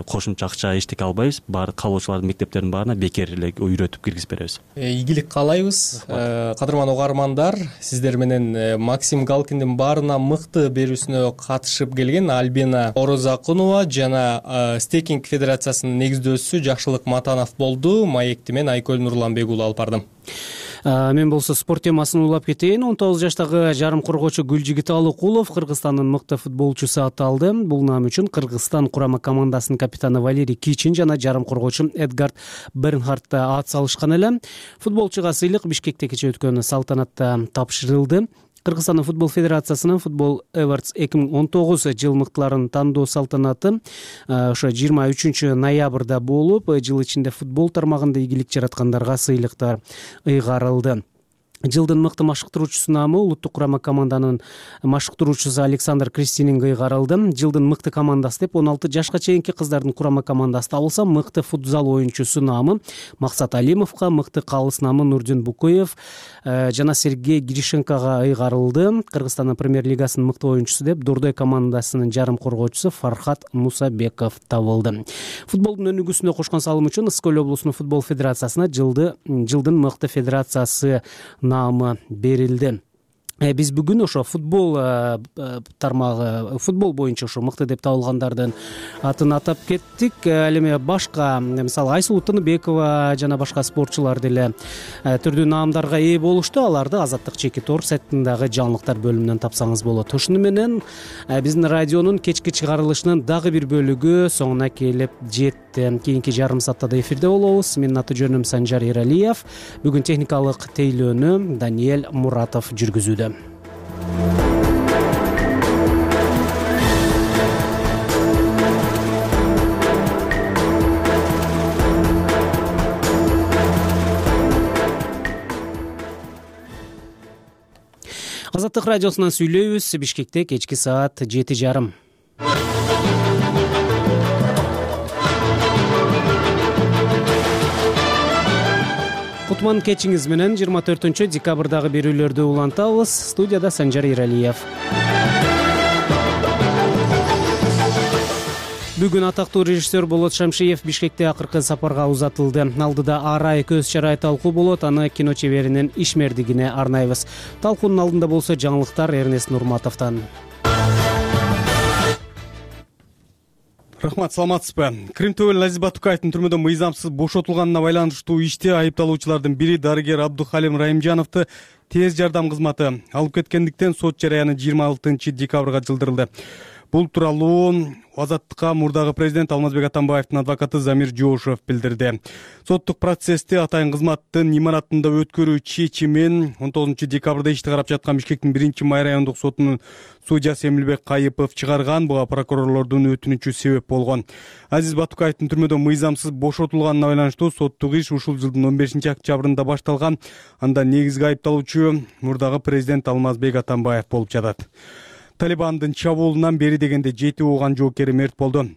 кошумча акча эчтеке албайбыз. Баары каалоочулардын мектептеринин баарына бекер эле үйрөтүп киргизип беребиз. Ийгилик каалайбыз. Кадырман угармандар, сиздер менен Максим Галкиндин баарына мыкты берүүсүнө катышып келген Альбина Орозакунова жана Стейкинг федерациясынын негиздөөчүсү Жакшылык Матанов болду. Маекти мен Айкөл Нурланбек уулу алып бардым. Мен болсо спорт темасын улап кетейин. он тогуз жаштагы жарым коргоочу Гүлжигит Алыкулов Кыргызстандын мыкты футболчусу аталды. Бул наам үчүн Кыргызстан курама командасынын капитаны Валерий Кичин жана жарым коргоочу Эдгард Бернхард ат салышкан эле. Футболчуга сыйлык Бишкекте кечээ өткөн салтанатта тапшырылды. Кыргызстандын футбол федерациясынын Футбол Awards эки миң он тогуз жыл мыктыларын тандоо салтанаты ошо жыйырма үчүнчү ноябрда болуп, жыл ичинде футбол тармагында ийгилик жараткандарга сыйлыктар ыйгарылды. Жылдын мыкты машыктыруучусу наамы улуттук курама команданын машыктыруучусу Александр Кристининг ыйгарылды. Жылдын мыкты командасы деп он алты жашка чейинки кыздардын курама командасы табылса, мыкты футзал оюнчусу наамы Максат Алимовго, мыкты калыс наамы Нурдин Букуев жана Сергей Гришенкага ыйгарылды. Кыргызстандын премьер-лигасынын мыкты оюнчусу деп Дордой командасынын жарым коргоочусу Фархат Мусабеков табылды. Футболдун өнүгүүсүнө кошкон салымы үчүн Ысык Көл облусунун футбол федерациясына жылды жылдын мыкты федерациясы наамы берилди. биз бүгүн ошо футбол тармагы футбол боюнча ошо мыкты деп табылгандардын атын атап кеттик. Ал эми башка мисалы Айсулуу Тыныбекова жана башка спортчулар деле түрдүү наамдарга ээ болушту. Аларды Азаттык Чеки Торг сайтындагы жаңылыктар бөлүмүнөн тапсаңыз болот. Ошону менен биздин радионун кечки чыгарылышынын дагы бир бөлүгү соңуна келип жетти. Кийинки жарым саатта да эфирде болобуз. Менин аты жөнүм Санжар Эралиев. Бүгүн техникалык тейлөөнү Даниэль Муратов жүргүзүүдө. Азаттык радиосунан сүйлөйбүз. Бишкекте кечки саат жети жарым. Кутман кечиңиз менен жыйырма төртүнчү декабрдагы берүүлөрдү улантабыз. Студияда Санжар Иралиев. Бүгүн атактуу режиссер Болот Шамшиев Бишкекте акыркы сапарга узатылды. Алдыда арай көз чарай талкуу болот. Аны кино чеберинин ишмердигине арнайбыз. Талкуунун алдында болсо жаңылыктар Эрнест Нурматовдон. Рахмат, саламатсызбы? Крим Төбөл Азиз Батукаевдин түрмөдөн мыйзамсыз бошотулганына байланыштуу иште айыпталуучулардын бири дарыгер Абдухалим Райымжановду тез жардам кызматы алып кеткендиктен сот жарыяны жыйырма алтынчы декабрга жылдырылды. Бул тууралуу Азаттыкка мурдагы президент Алмазбек Атамбаевдин адвокаты Замир Жоошев билдирди. Соттук процессти атайын кызматтын имаратында өткөрүү чечимин он тогузунчу декабрда ишти карап жаткан Бишкектин биринчи май райондук сотунун судьясы Эмилбек Кайыпов чыгарган. Буга прокурорлордун өтүнүчү себеп болгон. Азиз Батукаевдин түрмөдөн мыйзамсыз бошотулганына байланыштуу соттук иш ушул жылдын он бешинчи октябрында башталган. Анда негизги айыпталуучу мурдагы президент Алмазбек Атамбаев болуп жатат. Талибандын чабуулунан бери дегенде жети ооган жоокери мерт болду.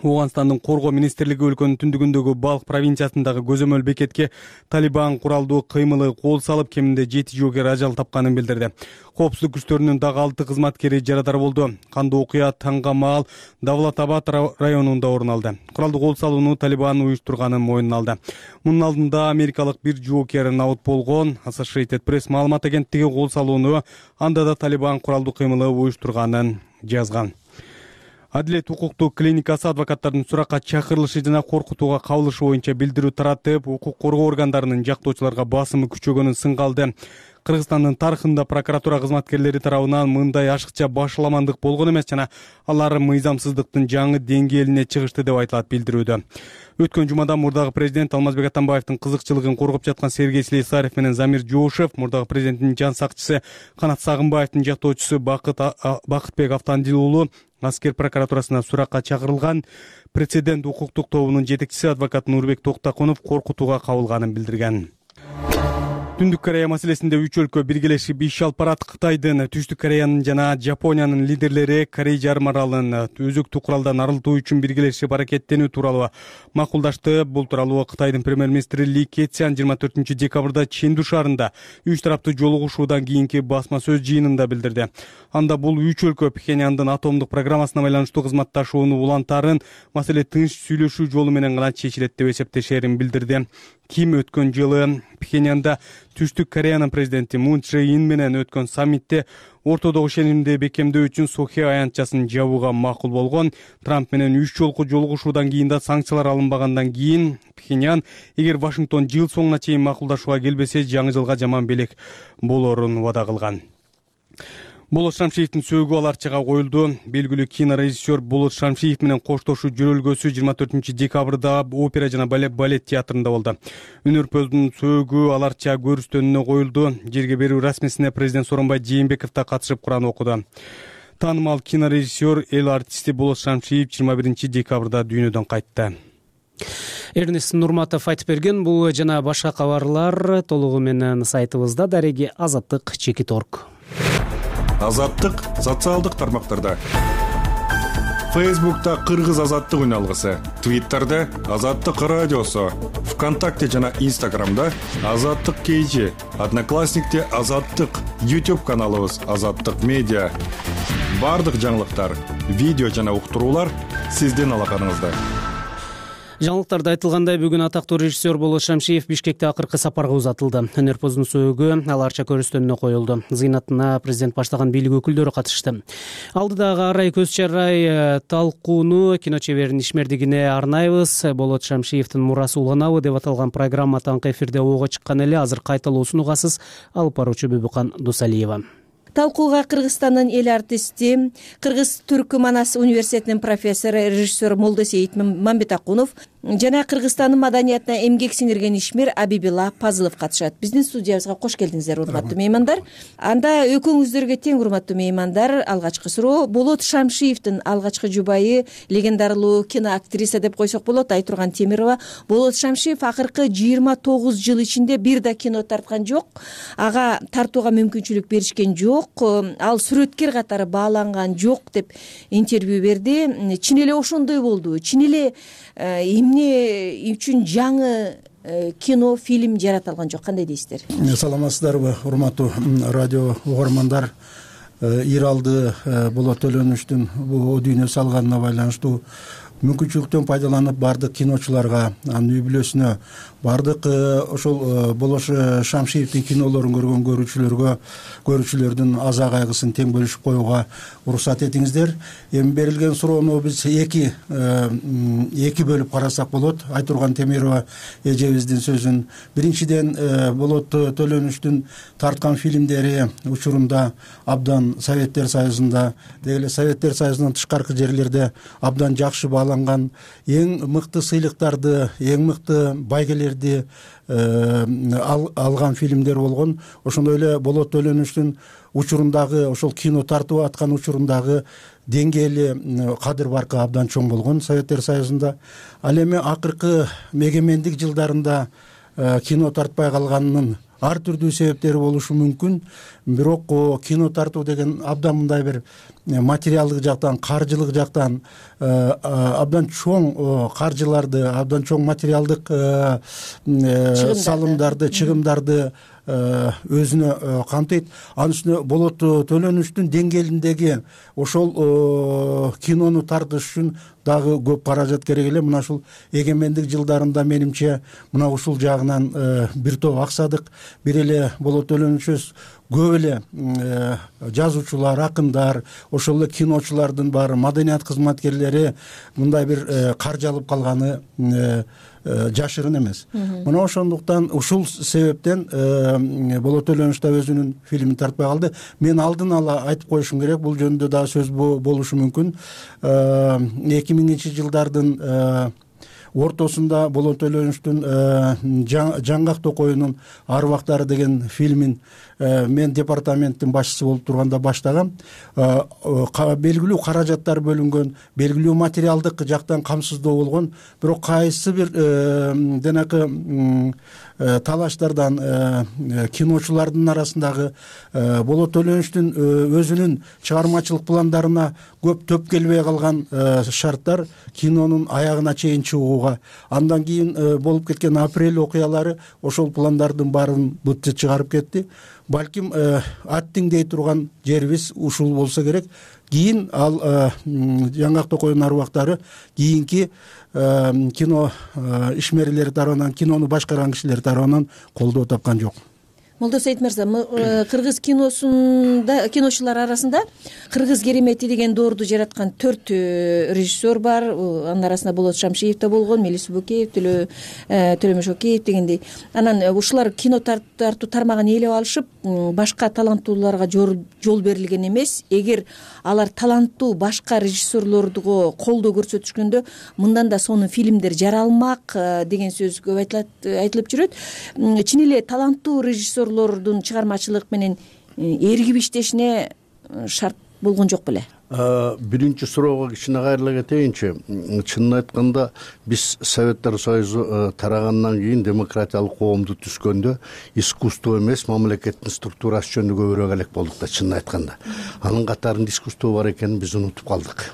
Ооганстандын коргоо министрлиги өлкөнүн түндүгүндөгү Балх провинциясындагы көзөмөл бекетке Талибан куралдуу кыймылы кол салып кеминде жети жоокер ажал тапканын билдирди. Коопсуздук күчтөрүнүн дагы алты кызматкери жарадар болду. Кандуу окуя таңга маал Давлатабад районунда орун алды. Куралдуу кол салууну Талибан уюштурганын мойнуна алды. Мунун алдында америкалык бир жоокер наут болгон. Associated Press маалымат агенттиги кол салууну анда да Талибан куралдуу кыймылы уюштурганын жазган. Адилет укуктук клиникасы адвокаттардын суракка чакырылышы жана коркутууга кабылышы боюнча билдирүү таратып, укук коргоо органдарынын жактоочуларга басымы күчөгөнүн сынга алды. Кыргызстандын тарыхында прокуратура кызматкерлери тарабынан мындай ашыкча башаламандык болгон эмес жана алар мыйзамсыздыктын жаңы деңгээлине чыгышты деп айтылат билдирүүдө. Өткөн жумада мурдагы президент Алмазбек Атамбаевдин кызыкчылыгын коргоп жаткан Сергей Слесарев менен Замир Жоошев, мурдагы президенттин жан сакчысы Канат Сагынбаевдин жактоочусу Бакыт Бакытбек Автандил уулу аскер прокуратурасына суракка чакырылган. Прецедент укуктук тобунун жетекчиси адвокат Нурбек Токтакунов коркутууга кабылганын билдирген. Түндүк Корея маселесинде үч өлкө биргелешип иш алып барат. Кытайдын, Түштүк Кореянын жана Жапониянын лидерлери Корей жарым аралын өзөктүк куралдан арылтуу үчүн биргелешип аракеттенүү тууралуу макулдашты. Бул тууралуу Кытайдын премьер-министри Ли Кэцян жыйырма төртүнчү декабрда Ченду шаарында үч тараптуу жолугушуудан кийинки басма сөз жыйынында билдирди. Анда бул үч өлкө Пхеньяндын атомдук программасына байланыштуу кызматташууну улантарын, маселе тынч сүйлөшүү жолу менен гана чечилет деп эсептешерин билдирди. Ким өткөн жылы Пхеньянда Түштүк Кореянын президенти Мун Чжэ Ин менен өткөн саммитте ортодогу ишенимди бекемдөө үчүн Сохи аянтчасын жабууга макул болгон. Трамп менен үч жолку жолугушуудан кийин да санкциялар алынбагандан кийин Пхеньян эгер Вашингтон жыл соңуна чейин макулдашууга келбесе жаңы жылга жаман белек болорун убада кылган. Болот Шамшиевдин сөөгү аларчага коюлду. Белгилүү кинорежиссер Болот Шамшиев менен коштошуу жөрөлгөсү жыйырма төртүнчү декабрда опера жана балет театрында болду. Үнөрпөздүн сөөгү аларча көрүстөнүнө коюлду. Жерге берүү расмисине президент Сооронбай Жээнбеков да катышып Куран окуду. Таанымал кинорежиссер, эл артисти Болот Шамшиев жыйырма биринчи декабрда дүйнөдөн кайтты. Эрнест Нурматов айтып берген. Бул жана башка кабарлар толугу менен сайтыбызда дареги Азаттык Чеки Торг. Азаттык социалдык тармактарда. Фейсбукта Кыргыз Азаттык үн алгысы, Твиттерде Азаттык радиосу, ВКонтакте жана Инстаграмда Азаттык кейжи, Одноклассникте Азаттык, YouTube каналыбыз Азаттык медиа. Бардык жаңылыктар, видео жана уктуруулар сиздин алаканыңызда. Жаңылыктарда айтылгандай, бүгүн атактуу режиссер Болот Шамшиев Бишкекте акыркы сапарга узатылды. Өнөрпоздун сөөгү аларча көрүстөнүнө коюлду. Зыйнатына президент баштаган бийлик өкүлдөрү катышты. Алдыдагы арай көз чарай талкууну кино чеберинин ишмердигине арнайбыз. Болот Шамшиевдин мурасы уланабы деп аталган программа таңкы эфирде ого чыккан эле. Азыр кайталоосун угасыз. Алып баруучу Бүбүкан Дусалиева. Талкууга Кыргызстандын эл артисти, Кыргыз-Түркү Манас университетинин профессору, режиссер Молдосейит Мамбетакунов жана Кыргызстандын маданиятына эмгек сиңирген ишмер Абибилла Пазылов катышат. Биздин студиябызга кош келдиңиздер, урматтуу меймандар. Анда экөөңүздөргө тең, урматтуу меймандар, алгачкы суроо: Болот Шамшиевдин алгачкы жубайы, легендардуу киноактриса деп койсок болот, Айтурган Темирова. Болот Шамшиев акыркы жыйырма тогуз жыл ичинде бир да кино тарткан жок. Ага тартууга мүмкүнчүлүк беришкен жок. Ал сүрөткер катары бааланган жок деп интервью берди. Чын эле ошондой болду. Чын эле эмне үчүн жаңы кино, фильм жаратылган жок? Кандай дейсиздер? Саламатсыздарбы, урматтуу радио угармандар? Ир алды Болот Төлөнүчтүн бул дүйнө салганына байланыштуу мүмкүнчүлүктөн пайдаланып бардык киночуларга, анын үй бүлөсүнө, бардык ошол Болот Шамшиевдин кинолорун көргөн көрүүчүлөргө, көрүүчүлөрдүн аза кайгысын тең бөлүшүп коюуга уруксат этиңиздер. Эми берилген суроону биз эки эки бөлүп карасак болот. Айтурган Темирова эжебиздин сөзүн. Биринчиден, Болот Төлөнүчтүн тарткан фильмдери учурунда абдан Советтер Союзунда, деги Советтер Союзунан тышкаркы жерлерде абдан жакшы бааланган, эң мыкты сыйлыктарды, эң мыкты байгелерди алган фильмдер болгон. Ошондой эле Болот Төлөнүчтүн учурундагы, ошол кино тартып аткан учурундагы деңгээли, кадыр баркы абдан чоң болгон Советтер Союзунда. Ал эми акыркы эгемендик жылдарында кино тартпай калганынын ар түрдүү себептери болушу мүмкүн. Бирок кино тартуу деген абдан мындай бир материалдык жактан, каржылык жактан абдан чоң каржыларды, абдан чоң материалдык салымдарды, чыгымдарды өзүнө камтыйт. Анын үстүнө Болот Төлөнүчтүн деңгээлиндеги ошол кинону тартыш үчүн дагы көп каражат керек эле. Мына ушул эгемендик жылдарында менимче мына ушул жагынан бир топ аксадык. Бир эле Болот Төлөнүчөбүз көп эле жазуучулар, акындар, ошол эле киночулардын баары, маданият кызматкерлери мындай бир каржы алып калганы жашырын эмес. Мына ошондуктан ушул себептен Болот Төлөнүч да өзүнүн фильмин тартпай калды. Мен алдын ала айтып коюшум керек, бул жөнүндө дагы сөз болушу мүмкүн. эки миңинчи жылдардын ортосунда Болот Төлөнүчтүн Жаңгак Токоюнун Арбактары деген фильмин мен департаменттин башчысы болуп турганда баштагам. Белгилүү каражаттар бөлүнгөн, белгилүү материалдык жактан камсыздоо болгон. Бирок кайсы бир денакы талаштардан киночулардын арасындагы Болот Төлөнүчтүн өзүнүн чыгармачылык пландарына көп төп келбей калган шарттар кинонун аягына чейин чыгууга, андан кийин болуп кеткен апрель окуялары ошол пландардын баарын бытчы чыгарып кетти. Балким аттиң дей турган жерибиз ушул болсо керек. Кийин ал Жаңгак Токоюнун Арбактары кийинки кино ишмерлери тарабынан, кинону башкарган кишилер тарабынан колдоо тапкан жок. Молдосейит мырза, кыргыз киносунда, киночулар арасында Кыргыз керемети деген доорду жараткан төрт режиссер бар. Анын арасында Болот Шамшиев да болгон, Мелис Бөкеев, Төлөмөш Океев дегендей. Анан ушулар кино тартуу тармагын ээлеп алышып, башка таланттууларга жол берилген эмес. Эгер алар таланттуу башка режиссерлорго колдоо көрсөтүшкөндө, мындан да сонун фильмдер жаралмак деген сөз көп айтылып жүрөт. Чын эле таланттуу режиссер лордун чыгармачылык менен эргип иштешине шарт болгон жок беле? Биринчи суроого кичине кайрыла кетейинчи. Чынын айтканда, биз Советтер Союзу тарагандан кийин демократиялык коомду түзгөндө искусство эмес, мамлекеттин структурасы жөнүндө көбүрөөк элек болдук да, чынын айтканда. Анын катарында искусство бар экенин биз унутуп калдык.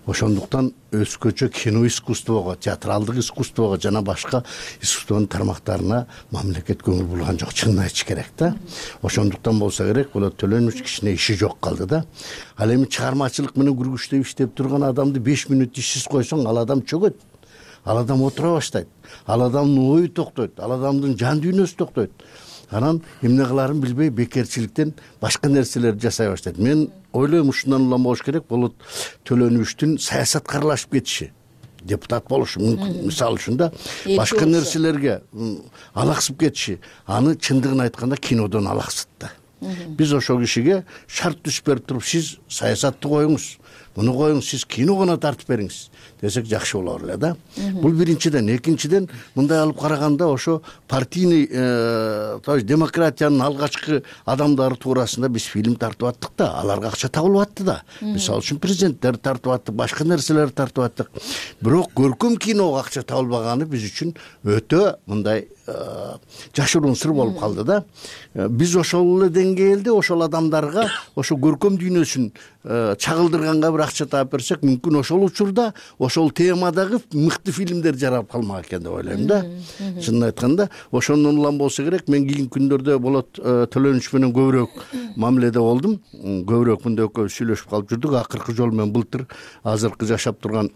Ошондуктан өзгөчө кино искусствого, театралдык искусствого жана башка искусствонун тармактарына мамлекет көңүл бурган жок, чынын айтыш керек да. Ошондуктан болсо керек, Болот Төлөнүч кичине иши жок калды да. Ал эми чыгармачылык менен күргүчтөп иштеп турган адамды беш мүнөт ишсиз койсоң, ал адам чөгөт. ал адам отура баштайт, ал адамдын ою токтойт, ал адамдын жан дүйнөсү токтойт. Анан эмне кыларын билбей бекерчиликтен башка нерселерди жасай баштайт. Мен ойлойм ушундан улам болуш керек. Болот Төлөнүбүчтүн саясатка аралашып кетиши, депутат болушу мүмкүн. Мисалы үчүн да башка нерселерге алаксып кетиши, аны чындыгын айтканда кинодон алаксыт да. Биз ошол кишиге шарт түзүп берип туруп, сиз саясатты коюңуз, муну коюңуз, сиз кино гана тартып бериңиз десек жакшы болор эле да. Бул биринчиден. Экинчиден, мындай алып караганда ошо партийный, то есть демократиянын алгачкы адамдары туурасында биз фильм тартып аттык да, аларга акча табылып атты да. Мисалы үчүн президенттер тартып аттык, башка нерселерди тартып аттык. Бирок көркөм киного акча табылбаганы биз үчүн өтө мындай жашыруун сыр болуп калды да. Биз ошол эле деңгээлде ошол адамдарга ошо көркөм дүйнөсүн чагылдырганга бир акча таап берсек, мүмкүн ошол учурда ошол темадагы мыкты фильмдер жаралып калмак экен деп ойлойм да. Чынын айтканда, ошондон улам болсо керек. Мен кийинки күндөрдө Болот Төлөнүч менен көбүрөөк мамиледе болдум. Көбүрөөк мындай экөөбүз сүйлөшүп калып жүрдүк. Акыркы жолу мен былтыр азыркы жашап турган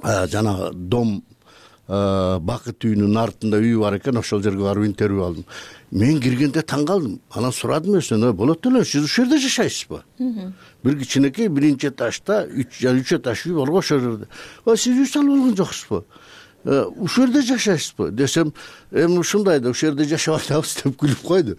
жанагы дом Бакыт үйүнүн артында үй бар экен, ошол жерге барып интервью алдым. Мен киргенде таң калдым. Анан сурадым өзүнөн, Болот Төлөнүч, сиз ушул жерде жашайсызбы? Бир кичинекей биринчи этажда үч этаж үй бар ошол жерде. Ой, сиз үй салып алган жоксузбу? Ушул жерде жашайсызбы десем, эми ушундай да ушул жерде жашап атабыз деп күлүп койду.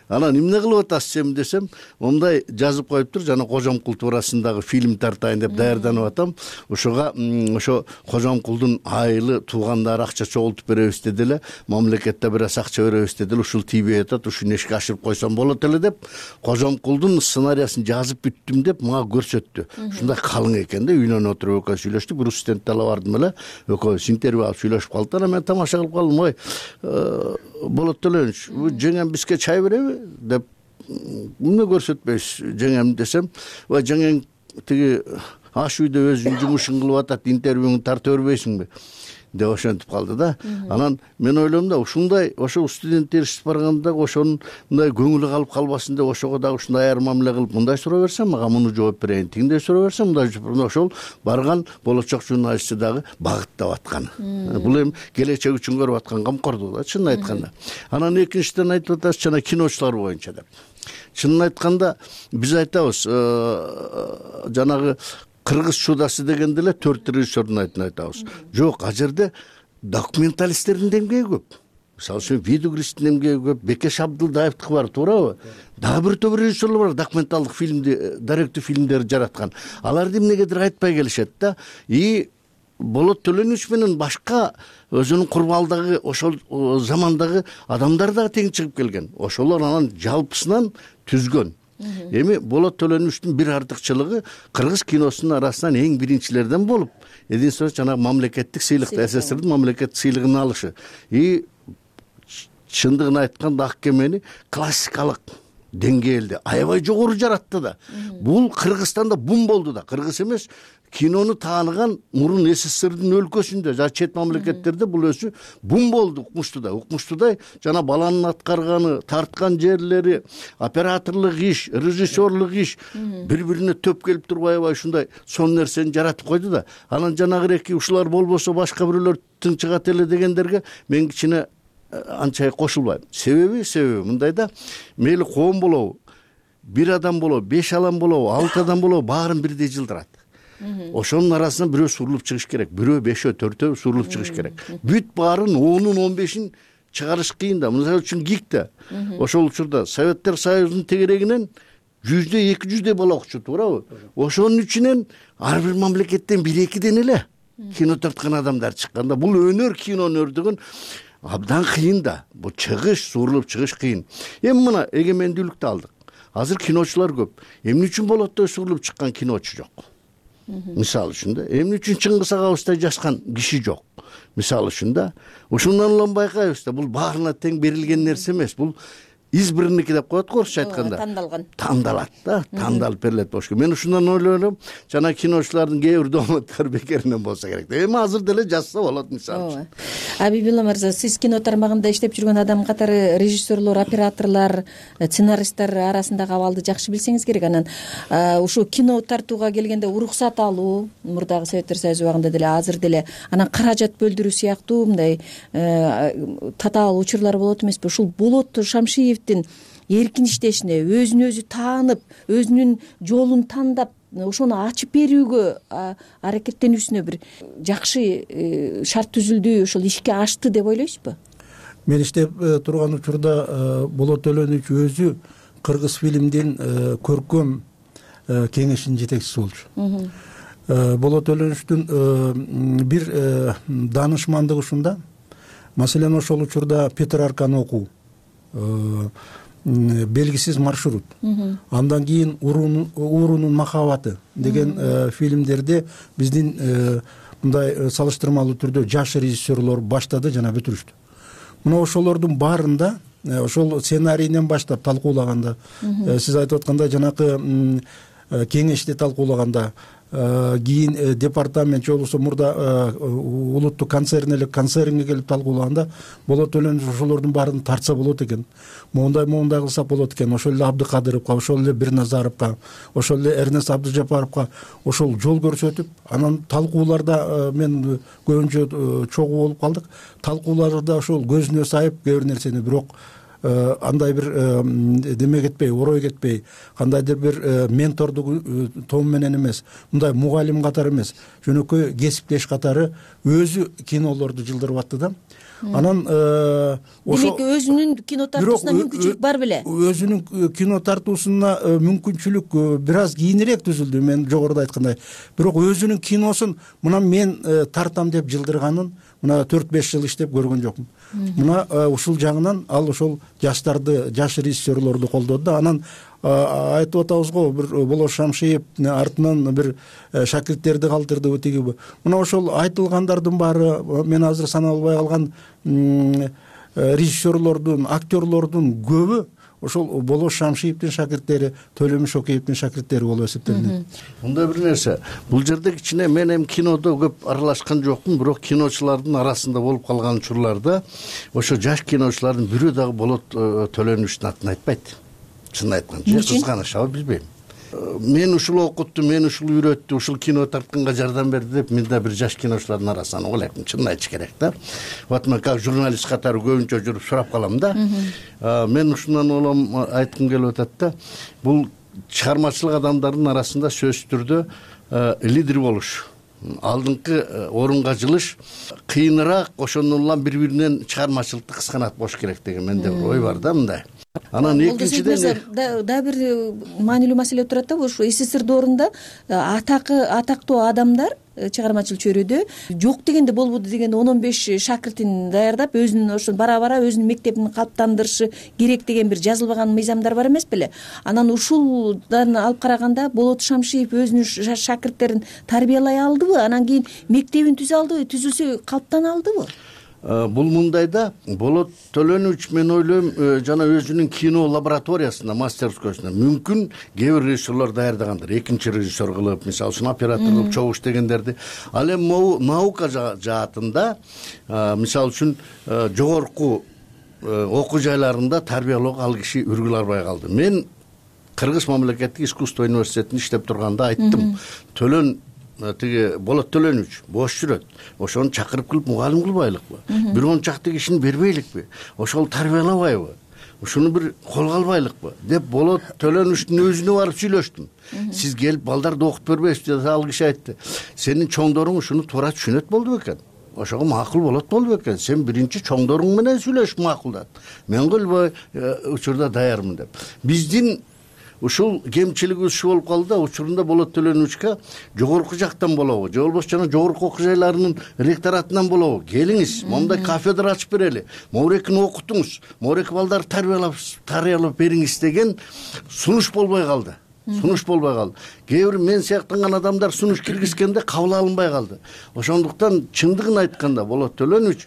Анан эмне кылып атасыз сен десем, мындай жазып коюптур, жана Кожомкул туурасындагы фильм тартайын деп даярданып атам. Ошого ошо Кожомкулдун айылы туугандары акча чогултуп беребиз деди эле, мамлекетте бир аз акча беребиз деди эле, ушул тийбей атат, ушуну ишке ашырып койсом болот эле деп, Кожомкулдун сценарийин жазып бүттүм деп мага көрсөттү. Ушундай калың экен да, үйүнөн отуруп экөөбүз сүйлөштүк, бир студентти ала бардым эле, экөөбүз интервью алып сүйлөшүп калдык. Анан мен тамаша кылып калдым, ой, Болот Төлөнүч, жеңем бизге чай береби деп, эмне көрсөтпөйсүз жеңем десем, ой, жеңең тиги аш үйдө өзүнүн жумушун кылып атат, интервьюңду тарта бербейсиңби деп ошентип калды да. Анан мен ойлойм да, ушундай ошо студент еришип барганда ошонун мындай көңүлү калып калбасын деп, ошого дагы ушундай аяр мамиле кылып, мындай суроо берсем мага муну жооп берейин, тигиндей суроо берсем мындай жооп берейин, ошол барган болочок журналистти дагы багыттап аткан. Бул эми келечек үчүн көрүп аткан камкордук да, чынын айтканда. Анан экинчиден айтып атасыз, жана киночулар боюнча деп. Чынын айтканда биз айтабыз, жанагы кыргыз чудасы дегенде эле төрт режиссердун атын айтабыз. Жок, ал жерде документалисттердин демгеги көп. Мисалы үчүн Видугристин демгеги көп, Бекеш Абдылдаевдики бар, туурабы? Дагы бир топ режиссерлор бар, документалдык фильмди, даректүү фильмдерди жараткан. Аларды эмнегедир айтпай келишет да. И Болот Төлөнүч менен башка өзүнүн курмалдагы ошол замандагы адамдар дагы тең чыгып келген. Ошолор анан жалпысынан түзгөн. Эми Болот Төлөнүчтүн бир артыкчылыгы кыргыз киносунун арасынан эң биринчилерден болуп, единственный жана мамлекеттик сыйлыкты, СССРдин мамлекеттик сыйлыгын алышы. И чындыгын айтканда Ак кемени классикалык деңгээлде аябай жогору жаратты да. Бул Кыргызстанда бум болду да. Кыргыз эмес, кинону тааныган мурун СССРдин өлкөсүндө, жана чет мамлекеттерде бул өзү бум болду укмуштуудай. Укмуштуудай жана баланын аткарганы, тарткан жерлери, операторлук иш, режиссерлук иш бири-бирине төп келип туруп аябай ушундай сон нерсени жаратып койду да. Анан жанагы эки ушулар болбосо башка бирөөлөр тынчыгат эле дегендерге мен кичине анча кошулбайм. Себеби, себеби мындай да, мейли коом болобу, бир адам болобу, беш адам болобу, алты адам болобу, баарын бирдей жылдырат. Ошонун арасынан бирөө сурулуп чыгыш керек, бирөө бешөө, төртөө сурулуп чыгыш керек. Бүт баарын онун он бешин чыгарыш кыйын да. Мисалы үчүн ГИКте ошол учурда Советтер Союзунун тегерегинен жүздө эки жүздөй бала окучу, туурабы? Ошонун ичинен ар бир мамлекеттен бир экиден эле кино тарткан адамдар чыкканда, бул өнөр, кино өнөрдүгүн абдан кыйын да. Бул чыгыш, сурулуп чыгыш кыйын. Эми мына эгемендүүлүктү алдык. Азыр киночулар көп. Эмне үчүн Болоттой сурулуп чыккан киночу жок? Мисалы үчүн да, эмне үчүн Чыңгыз Агабыздай жазган киши жок? Мисалы үчүн да, ушундан улам байкайбыз да, бул баарына тең берилген нерсе эмес. Бул избранники деп коет го орусча айтканда, тандалган тандалат да, тандалып берилет болуш керек. Мен ушундан ойлойм, жана киночулардын кээ бир дооматтары бекеринен болсо керек. Эми азыр деле жазса болот мисалы үчүн. Абибилла мырза, сиз кино тармагында иштеп жүргөн адам катары режиссерлор, операторлор, сценаристтер арасындагы абалды жакшы билсеңиз керек. Анан ушу кино тартууга келгенде уруксат алуу, мурдагы Советтер Союзу убагында деле, азыр деле, анан каражат бөлдүрүү сыяктуу мындай татаал учурлар болот эмеспи? Ушул Болот Шамшиевдин эркин иштешине, өзүн өзү таанып, өзүнүн жолун тандап, ошону ачып берүүгө аракеттенүүсүнө бир жакшы шарт түзүлдү, ошол ишке ашты деп ойлойсузбу? Мен иштеп турган учурда Болот Төлөнүч өзү кыргыз фильмдин көркөм кеңешинин жетекчиси болчу. Болот Төлөнүчтүн бир данышмандыгы ушунда. Маселен, ошол учурда Петрарканы окуу, белгисиз маршрут, андан кийин Уурунун махабаты деген фильмдерди биздин мындай салыштырмалуу түрдө жаш режиссерлор баштады жана бүтүрүштү. Мына ошолордун баарында, ошол сценарийинен баштап талкуулаганда, сиз айтып аткандай жанакы кеңеште талкуулаганда, кийин департамент же болбосо мурда улуттук концерн эле концернге келип талкуулаганда, Болот Төлөнүч ошолордун баарын тартса болот экен, моундай моундай кылсак болот экен, ошол эле Абдыкадыровго, ошол эле Бирназаровго, ошол эле Эрнест Абдыжапаровго ошол жол көрсөтүп, анан талкууларда мен көбүнчө чогуу болуп калдык. Талкууларда ошол көзүнө сайып кээ бир нерсени, бирок андай бир деме кетпей, орой кетпей, кандайдыр бир ментордук том менен эмес, мындай мугалим катары эмес, жөнөкөй кесиптеш катары өзү кинолорду жылдырып атты да. Анан демек өзүнүн кино тартуусуна мүмкүнчүлүк бар беле? Өзүнүн кино тартуусуна мүмкүнчүлүк бир аз кийинирээк түзүлдү, мен жогоруда айткандай. Бирок өзүнүн киносун мына мен тартам деп жылдырганын мына төрт беш жыл иштеп көргөн жокмун. Мына ушул жагынан ал ошол жаштарды, жаш режиссерлорду колдоду да. Анан айтып атабыз го, бир Болот Шамшиев артынан бир шакирттерди калтырды тиги. Мына ошол айтылгандардын баары, мен азыр санап албай калган режиссерлордун, актерлордун көбү ошол Болот Шамшиевдин шакирттери, Төлөмүш Океевдин шакирттери болуп эсептелинет. Мындай бир нерсе, бул жерде кичине мен эми кинодо көп аралашкан жокмун, бирок киночулардын арасында болуп калган учурларда ошо жаш киночулардын бирөө дагы Болот Төлөнүчтүн атын айтпайт. Чын айтканда, же кызганышабы билбейм. Мен ушул окутту, мен ушул үйрөттү, ушул кино тартканга жардам берди деп мен да бир жаш киночулардын арасынан ойлойм, чын айтыш керек да. Вот мен как журналист катары көбүнчө жүрүп сурап калам да. Мен ушундан улам айткым келип атат да, бул чыгармачылык адамдардын арасында сөзсүз түрдө лидер болуш, алдыңкы орунга жылыш кыйыныраак, ошондон улам бири-биринен чыгармачылыкты кысканат болуш керек деген менде бир ой бар да мындай. Анан экинчиден да бир маанилүү маселе турат да, ушу СССР доорунда атакы атактуу адамдар чыгармачыл чөйрөдө жок дегенде болбоду деген он он беш шакиртин даярдап, өзүнүн ошо бара-бара өзүнүн мектебин калыптандырышы керек деген бир жазылбаган мыйзамдар бар эмес беле? Анан ушулдан алып караганда Болот Шамшиев өзүнүн шакирттерин тарбиялай алдыбы? Анан кийин мектебин түзө алдыбы, түзүлсө калыптана алдыбы? Бул мындай да, Болот Төлөнүч мен ойлойм жана өзүнүн кино лабораториясында, мастерскойсунда мүмкүн кээ бир режиссерлор даярдагандыр, экинчи режиссер кылып, мисалы үчүн оператор кылып чогуу иштегендерди. Ал эми наука жаатында, мисалы үчүн жогорку окуу жайларында тарбиялоого ал киши үргүл арбай калды. Мен Кыргыз мамлекеттик искусство университетинде иштеп турганда айттым, Төлөн тиги Болот Төлөнүч бош жүрөт, ошону чакырып кылып мугалим кылбайлыкпы, бир он чакты кишини бербейликпи, ошол тарбиялабайбы, ушуну бир колго албайлыкпы деп Болот Төлөнүчтүн өзүнө барып сүйлөштүм. Сиз келип балдарды окуп бербейсизби деп ал киши айтты. Сенин чоңдоруң ушуну туура түшүнөт болду бекен, ошого макул болот болду бекен, сен биринчи чоңдоруң менен сүйлөшүп макулдат, мен кылбай учурда даярмын деп. Биздин ушул кемчилиги ушул болуп калды да, учурунда Болот Төлөнүчкө жогорку жактан болобу, же болбосо жана жогорку окуу жайларынын ректоратынан болобу, келиңиз, мондай кафедра ачып берели, моурекини окутуңуз, моурек балдарды тарбиялап тарбиялап бериңиз деген сунуш болбой калды. сунуш болбой калды. Кээ бир мен сыяктанган адамдар сунуш киргизгенде кабыл алынбай калды. Ошондуктан чындыгын айтканда Болот Төлөнүч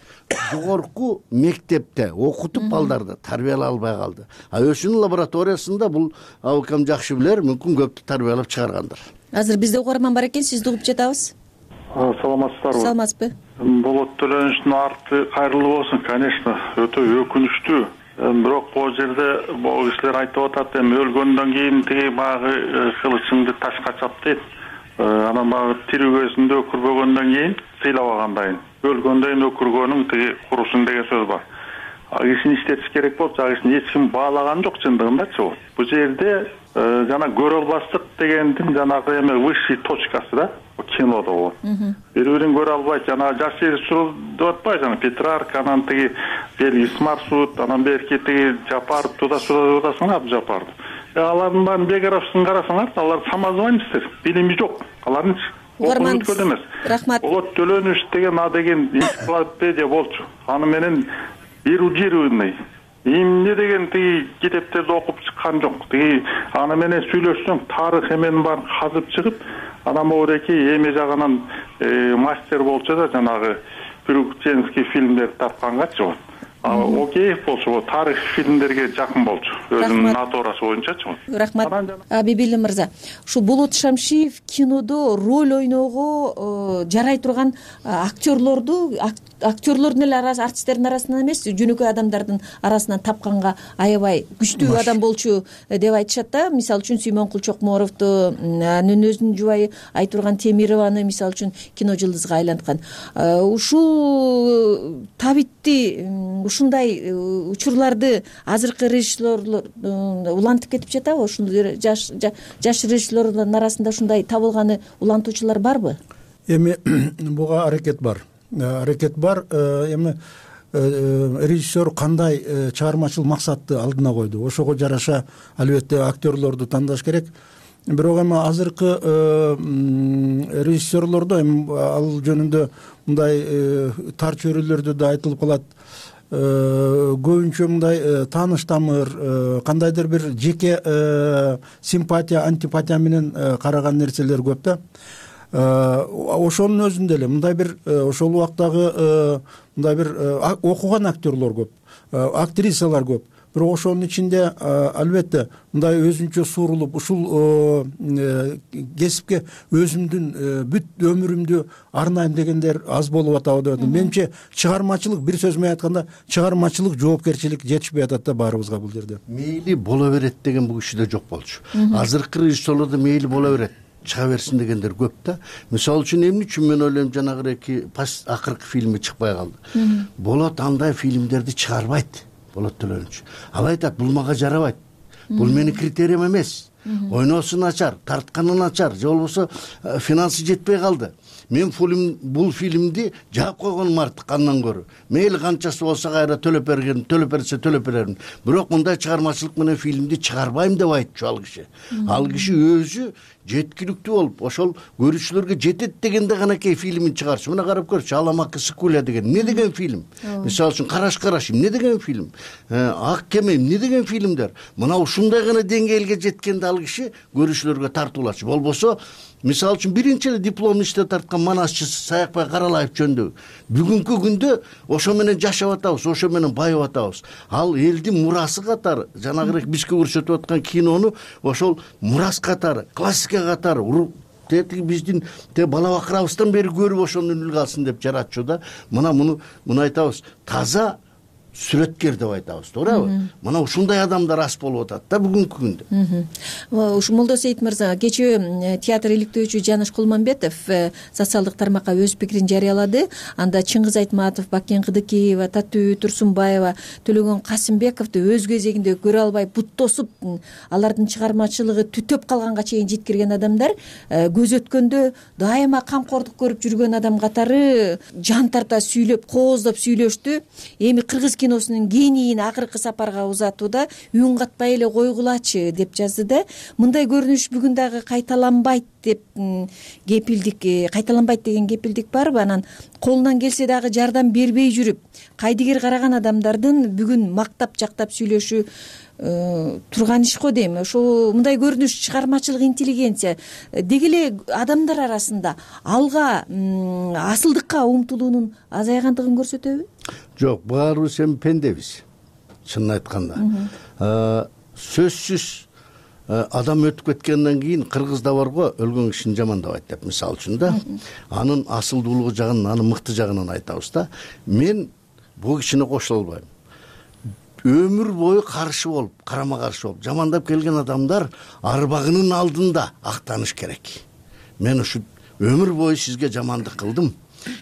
жогорку мектепте окутуп балдарды тарбиялай албай калды. А өзүнүн лабораториясында бул абыкам жакшы билер, мүмкүн көптү тарбиялап чыгаргандыр. Азыр бизде угарман бар экен, сизди угуп жатабыз. Саламатсыздарбы? Саламатсызбы? Болот Төлөнүчтүн арты кайрылуу болсун, конечно, өтө өкүнүчтүү. Бирок бул жерде бул кишилер айтып атат, эми өлгөндөн кийин тиги баягы кылычыңды ташка чап дейт. Анан баягы тирүү кезинде өкүрбөгөндөн кийин сыйлабагандайын. Өлгөндөн өкүргөнүң тиги курусун деген сөз бар. А кишини иштетиш керек болуп, а кишини эч ким баалаган жок чындыгындачы. Бул жерде жана көрө албастык дегендин жанагы эме высший точкасы да кинодо бул. Бири-бирин көрө албайт, жана жаш режиссер деп атпайбы, жана Петрарка, анан тиги Белгис Маршрут, анан берки тиги Жапар туда-суда деп атасың, Абжапарды. Алардын баарын биографиясын карасаңар, алар самозванецтер, билими жок. Алардын окуну өткөн эмес. Рахмат. Болот Төлөнүч деген а деген энциклопедия болчу. Аны менен эрудированный эмне деген тиги китептерди окуп чыккан жок. Тиги аны менен сүйлөшсөң, тарых эменин баарын казып чыгып, анан могуреки эме жагынан мастер болчу да, жанагы приключенческий фильмдерди тапкангачы. Окей болчу, тарых фильмдерге жакын болчу, өзүнүн натурасы боюнчачы. Рахмат. Бибили мырза, ушул Болот Шамшиев кинодо роль ойноого жарай турган актерлорду, актерлордун эле арасы, артисттердин арасынан эмес, жөнөкөй адамдардын арасынан тапканга аябай күчтүү адам болчу деп айтышат да. Мисалы үчүн Сүймөнкул Чокморовду, анын өзүнүн жубайы Айтурган Темированы мисалы үчүн кино жылдызга айланткан. Ушул табитти, ушундай учурларды азыркы режиссерлор улантып кетип жатабы? Ушундай жаш жаш режиссерлордун арасында ушундай табылганы улантуучулар барбы? Эми буга аракет бар. Аракет бар. Эми режиссер кандай чыгармачыл максатты алдына койду, ошого жараша албетте актерлорду тандаш керек. Бирок эми азыркы режиссерлордо эми ал жөнүндө мындай тар чөйрөлөрдө да айтылып калат. Көбүнчө мындай тааныш тамыр, кандайдыр бир жеке симпатия, антипатия менен караган нерселер көп да. Ошонун өзүндө эле мындай бир ошол убактагы мындай бир окуган актерлор көп, актрисалар көп. Бирок ошонун ичинде албетте мындай өзүнчө суурулуп ушул кесипке өзүмдүн бүт өмүрүмдү арнайм дегендер аз болуп атабы деп атам. Менимче чыгармачылык, бир сөз менен айтканда, чыгармачылык жоопкерчилик жетишпей атат да баарыбызга бул жерде. Мейли боло берет деген бул кишиде жок болчу. Азыркы режиссерлордо мейли боло берет, чыга берсин дегендер көп да. Мисалы үчүн эмне үчүн мен ойлойм, жанагы эки акыркы фильми чыкпай калды. Болот андай фильмдерди чыгарбайт. Болот Төлөнүч. Ал айтат, бул мага жарабайт. Бул менин критериям эмес. Ойносу начар, тартканы начар, же болбосо финансы жетпей калды. Мен бул фильмди жаап койгонум артык андан көрө. Мейли канчасы болсо кайра төлөп берген, төлөп берсе төлөп берермин. Бирок мындай чыгармачылык менен фильмди чыгарбайм деп айтчу ал киши. Ал киши өзү жеткиликтүү болуп, ошол көрүүчүлөргө жетет дегенде гана кей фильмин чыгарчу. Мына карап көрчү, Аламакы Сыкуля деген эмне деген фильм. Мисалы үчүн Караш караш эмне деген фильм. Ак кеме эмне деген фильмдер. Мына ушундай гана деңгээлге жеткенде ал киши көрүүчүлөргө тартуулачу. Болбосо мисалы үчүн биринчи эле дипломун иште тарткан манасчы Саякбай Каралаев жөнүндө бүгүнкү күндө ошо менен жашап атабыз, ошо менен байып атабыз. Ал элдин мурасы катары, жанагы бизге көрсөтүп аткан кинону ошол мурас катары, классика катары тетиги биздин те бала бакырабыздан бери көрүп ошону үлгү алсын деп жаратчу да. Мына муну муну айтабыз, таза сүрөткер деп айтабыз, туурабы? Мына ушундай адамдар аз болуп атат да бүгүнкү күндө. Ушу Молдосейит мырза, кечээ театр иликтөөчү Жаныш Кулманбетов социалдык тармакка өз пикирин жарыялады. Анда Чыңгыз Айтматов, Бакен Кыдыкиева, Татуу Турсунбаева, Төлөгөн Касымбековду өз кезегинде көрө албай бут тосуп, алардын чыгармачылыгы түтөп калганга чейин жеткирген адамдар көз өткөндө дайыма камкордук көрүп жүргөн адам катары жан тарта сүйлөп, кооздоп сүйлөштү. Эми кыргыз киносунун генийин акыркы сапарга узатууда үн катпай эле койгулачы деп жазды да. Мындай көрүнүш бүгүн дагы кайталанбайт деп кепилдик, кайталанбайт деген кепилдик барбы? Анан колунан келсе дагы жардам бербей жүрүп, кайдыгер караган адамдардын бүгүн мактап жактап сүйлөшү турган иш го дейм. Ошол мындай көрүнүш чыгармачылык интеллигенция деги эле адамдар арасында алга асылдыкка умтулуунун азайгандыгын көрсөтөбү? Жок, баарыбыз эми пендебиз, чынын айтканда. Сөзсүз адам өтүп кеткенден кийин кыргызда барго өлгөн кишини жамандабайт деп, мисалы үчүн да, анын асылдуулугу жагынан, анын мыкты жагынан айтабыз да. Мен бул кишине кошула албайм. Өмүр бою каршы болуп, карама каршы болуп жамандап келген адамдар арбагынын алдында актаныш керек. Мен ушу өмүр бою сизге жамандык кылдым,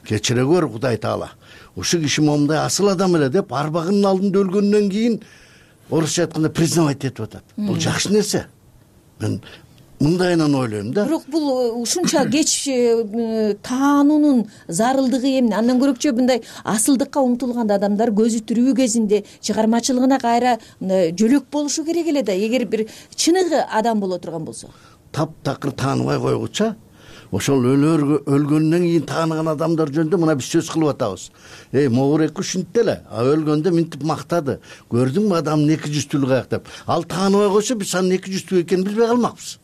кечире көр Кудай Таала. Ушу киши момундай асыл адам эле деп арбагынын алдында өлгөндөн кийин орусча айтканда признавать этип атат. Бул жакшы нерсе. Мен мындайынан ойлойм да. Бирок бул ушунча кеч таануунун зарылдыгы эмне? Андан көрөкчө мындай асылдыкка умтулган адамдар көзү тирүү кезинде чыгармачылыгына кайра жөлөк болушу керек эле да, эгер бир чыныгы адам боло турган болсо. Таптакыр тааныбай койгуча ошол өлгөндөн кийин тааныган адамдар жөнүндө мына биз сөз кылып атабыз. Эй, могуреки ушинтти эле, а өлгөндө минтип мактады. Көрдүңбү адамдын эки жүздүүлүгү каяк деп. Ал тааныбай койсо биз анын эки жүздүү экенин билбей калмакпыз.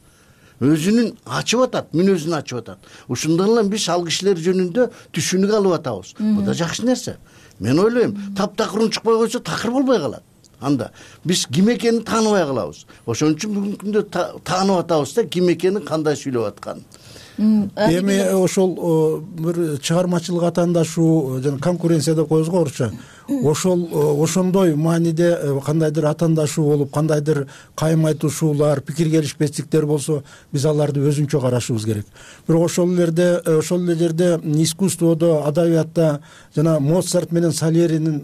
Өзүнүн ачып атат, мүнөзүн ачып атат. Ушундан эле биз ал кишилер жөнүндө түшүнүк алып атабыз. Бул да жакшы нерсе. Мен ойлойм, таптакыр унчукпай койсо такыр болбой калат. Анда биз ким экенин тааныбай калабыз. Ошон үчүн бүгүнкү күндө таанып атабыз да, ким экенин, кандай сүйлөп атканын. Эми ошол бир чыгармачылык атаандашуу жана конкуренция деп коебуз го орусча. Ошол ошондой мааниде кандайдыр атаандашуу болуп, кандайдыр кайым айтышуулар, пикир келишпестиктер болсо, биз аларды өзүнчө карашыбыз керек. Бирок ошол элерде, ошол эле жерде искусстводо, адабиятта жана Моцарт менен Сальеринин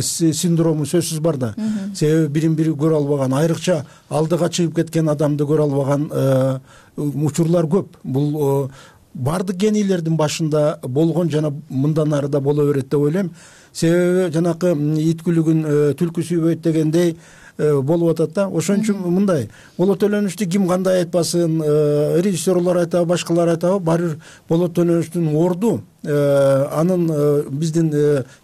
синдрому сөзсүз бар да. Себеби бирин бири көрө албаган, айрыкча алдыга чыгып кеткен адамды көрө албаган учурлар көп. Бул бардык генийлердин башында болгон жана мындан ары да боло берет деп ойлойм. Себеби жанакы ит күлүгүн түлкү сүйбөйт дегендей болуп атат да. Ошон үчүн мындай Болот Төлөнүчтү ким кандай айтпасын, режиссерлор айтабы, башкалар айтабы, баары бир Болот Төлөнүчтүн орду, анын биздин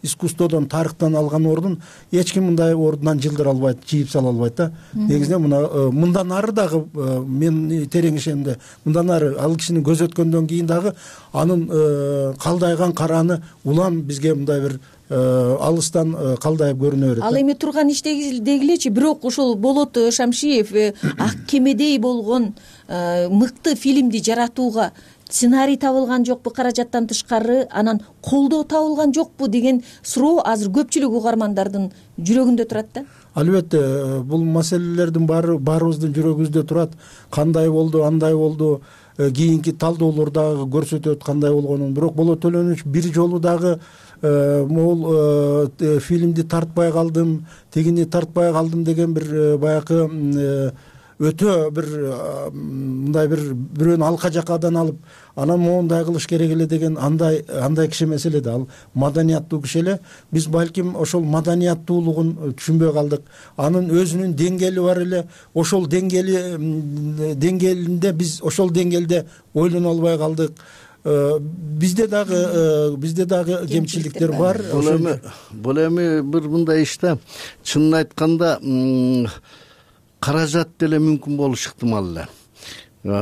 искусстводон, тарыхтан алган ордун эч ким мындай ордунан жылдыра албайт, чийип сала албайт да. Негизинен мына мындан ары дагы мен терең ишенимде, мындан ары ал кишини көзөткөндөн кийин дагы анын калдайган караны улам бизге мындай бир алыстан калдайып көрүнө берет. Ал эми турган иш деги элечи, бирок ошол Болот Шамшиев ак кемедей болгон мыкты фильмди жаратууга сценарий табылган жокпу, каражаттан тышкары, анан колдоо табылган жокпу деген суроо азыр көпчүлүк угармандардын жүрөгүндө турат да. Албетте, бул маселелердин баары баарыбыздын жүрөгүбүздө турат. Кандай болду, андай болду, кийинки талдоолор дагы көрсөтөт кандай болгонун. Бирок Болот Төлөнүч бир жолу дагы могул фильмди тартпай калдым, тигини тартпай калдым деген бир баягы өтө бир мындай бир бирөөнү алка жакадан алып, анан моундай кылыш керек эле деген андай андай киши эмес эле да. Ал маданияттуу киши эле. Биз балким ошол маданияттуулугун түшүнбөй калдык. Анын өзүнүн деңгээли бар эле. Ошол деңгээли деңгээлинде биз ошол деңгээлде ойлоно албай калдык. Бизде дагы бизде дагы кемчиликтер бар. Бул эми бул эми бир мындай иш да. Чынын айтканда каражат деле мүмкүн болушу ыктымал эле.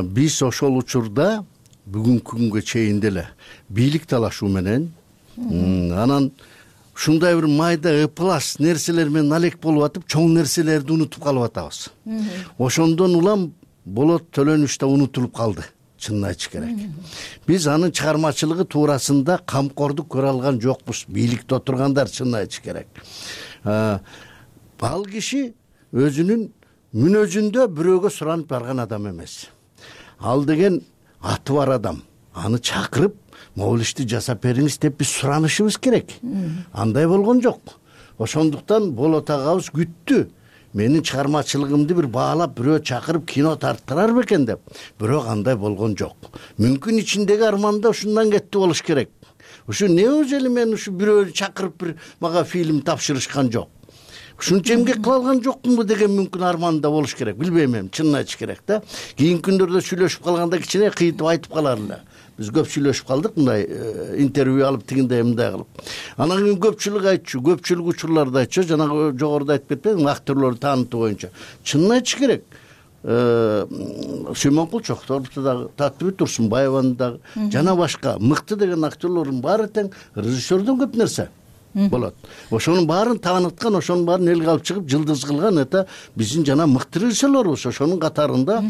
Биз ошол учурда бүгүнкү күнгө чейин деле бийлик талашуу менен анан ушундай бир майда ыплас нерселер менен алек болуп атып, чоң нерселерди унутуп калып атабыз. Ошондон улам Болот Төлөнүч да унутулуп калды, чынын айтыш керек. Биз анын чыгармачылыгы туурасында камкордук көрө алган жокпуз, бийликте отургандар, чынын айтыш керек. Ал киши өзүнүн мүнөзүндө бирөөгө суранып барган адам эмес. Ал деген аты бар адам. Аны чакырып, могул ишти жасап бериңиз деп биз суранышыбыз керек. Андай болгон жок. Ошондуктан Болот агабыз күттү. Менин чыгармачылыгымды бир баалап, бирөө чакырып кино тарттырар бекен деп. Бирок андай болгон жок. Мүмкүн ичиндеги арманда ушундан кетти болуш керек. Ушу не өзү эле мен ушу бирөө чакырып бир мага фильм тапшырышкан жок. ушунча эмгек кыла алган жокмунбу деген мүмкүн арман да болуш керек, билбейм эми, чынын айтыш керек да. Кийинки күндөрдө сүйлөшүп калганда кичине кыйытып айтып калар эле. Биз көп сүйлөшүп калдык мындай интервью алып тигиндей мындай кылып. Анан кийин көпчүлүк айтчу, көпчүлүк учурларда айтчу, жанагы жогоруда айтып кетпедимби, актерлорду таанытуу боюнча. Чынын айтыш керек. Сүймөнкул Чокторовду дагы, Татыбүт Турсунбаеваны дагы жана башка мыкты деген актерлордун баары тең режиссердон көп нерсе болот. Ошонун баарын тааныткан, ошонун баарын элге алып чыгып жылдыз кылган это биздин жана мыкты режиссерлорубуз, ошонун катарында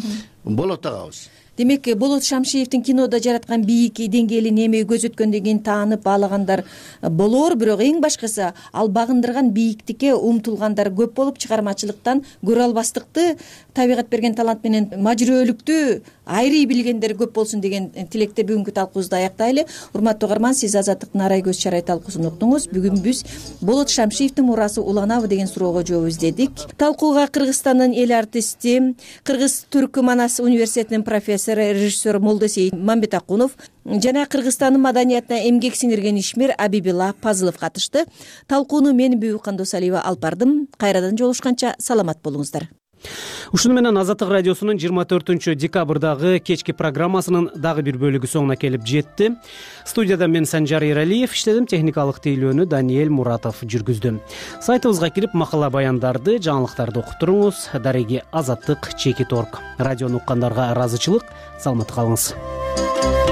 болот агабыз. Демек, Болот Шамшиевдин кинода жараткан бийик деңгээлин эми көзөткөндөн кийин таанып баалагандар болор, бирок эң башкысы ал багындырган бийиктикке умтулгандар көп болуп, чыгармачылыктан көрө албастыкты, табигат берген талант менен мажүрөлүктү айрый билгендер көп болсун деген тилекте бүгүнкү талкуубузду аяктайлы. Урматтуу угарман, сиз Азаттыктын арай көз чарай талкуусун уктуңуз. Бүгүн биз Болот Шамшиевдин мурасы уланабы деген суроого жооп издедик. Талкууга Кыргызстандын эл артисти, Кыргыз Түркү Манас университетинин профессору, режиссер Молдосейит Мамбетакунов жана Кыргызстандын маданиятына эмгек сиңирген ишмер Абибила Пазылов катышты. Талкууну мен Бүбү Кандосалиева алып бардым. Кайрадан жолугушканча саламат болуңуздар. Ушуну менен Азаттык радиосунун жыйырма төртүнчү декабрдагы кечки программасынын дагы бир бөлүгү соңуна келип жетти. Студияда мен Санжар Эралиев иштедим, техникалык тейлөөнү Даниэль Муратов жүргүздү. Сайтыбызга кирип макала баяндарды, жаңылыктарды окуп туруңуз. Дареги Азаттык чекит точка орг. Радиону уккандарга ыраазычылык. Саламатта калыңыз.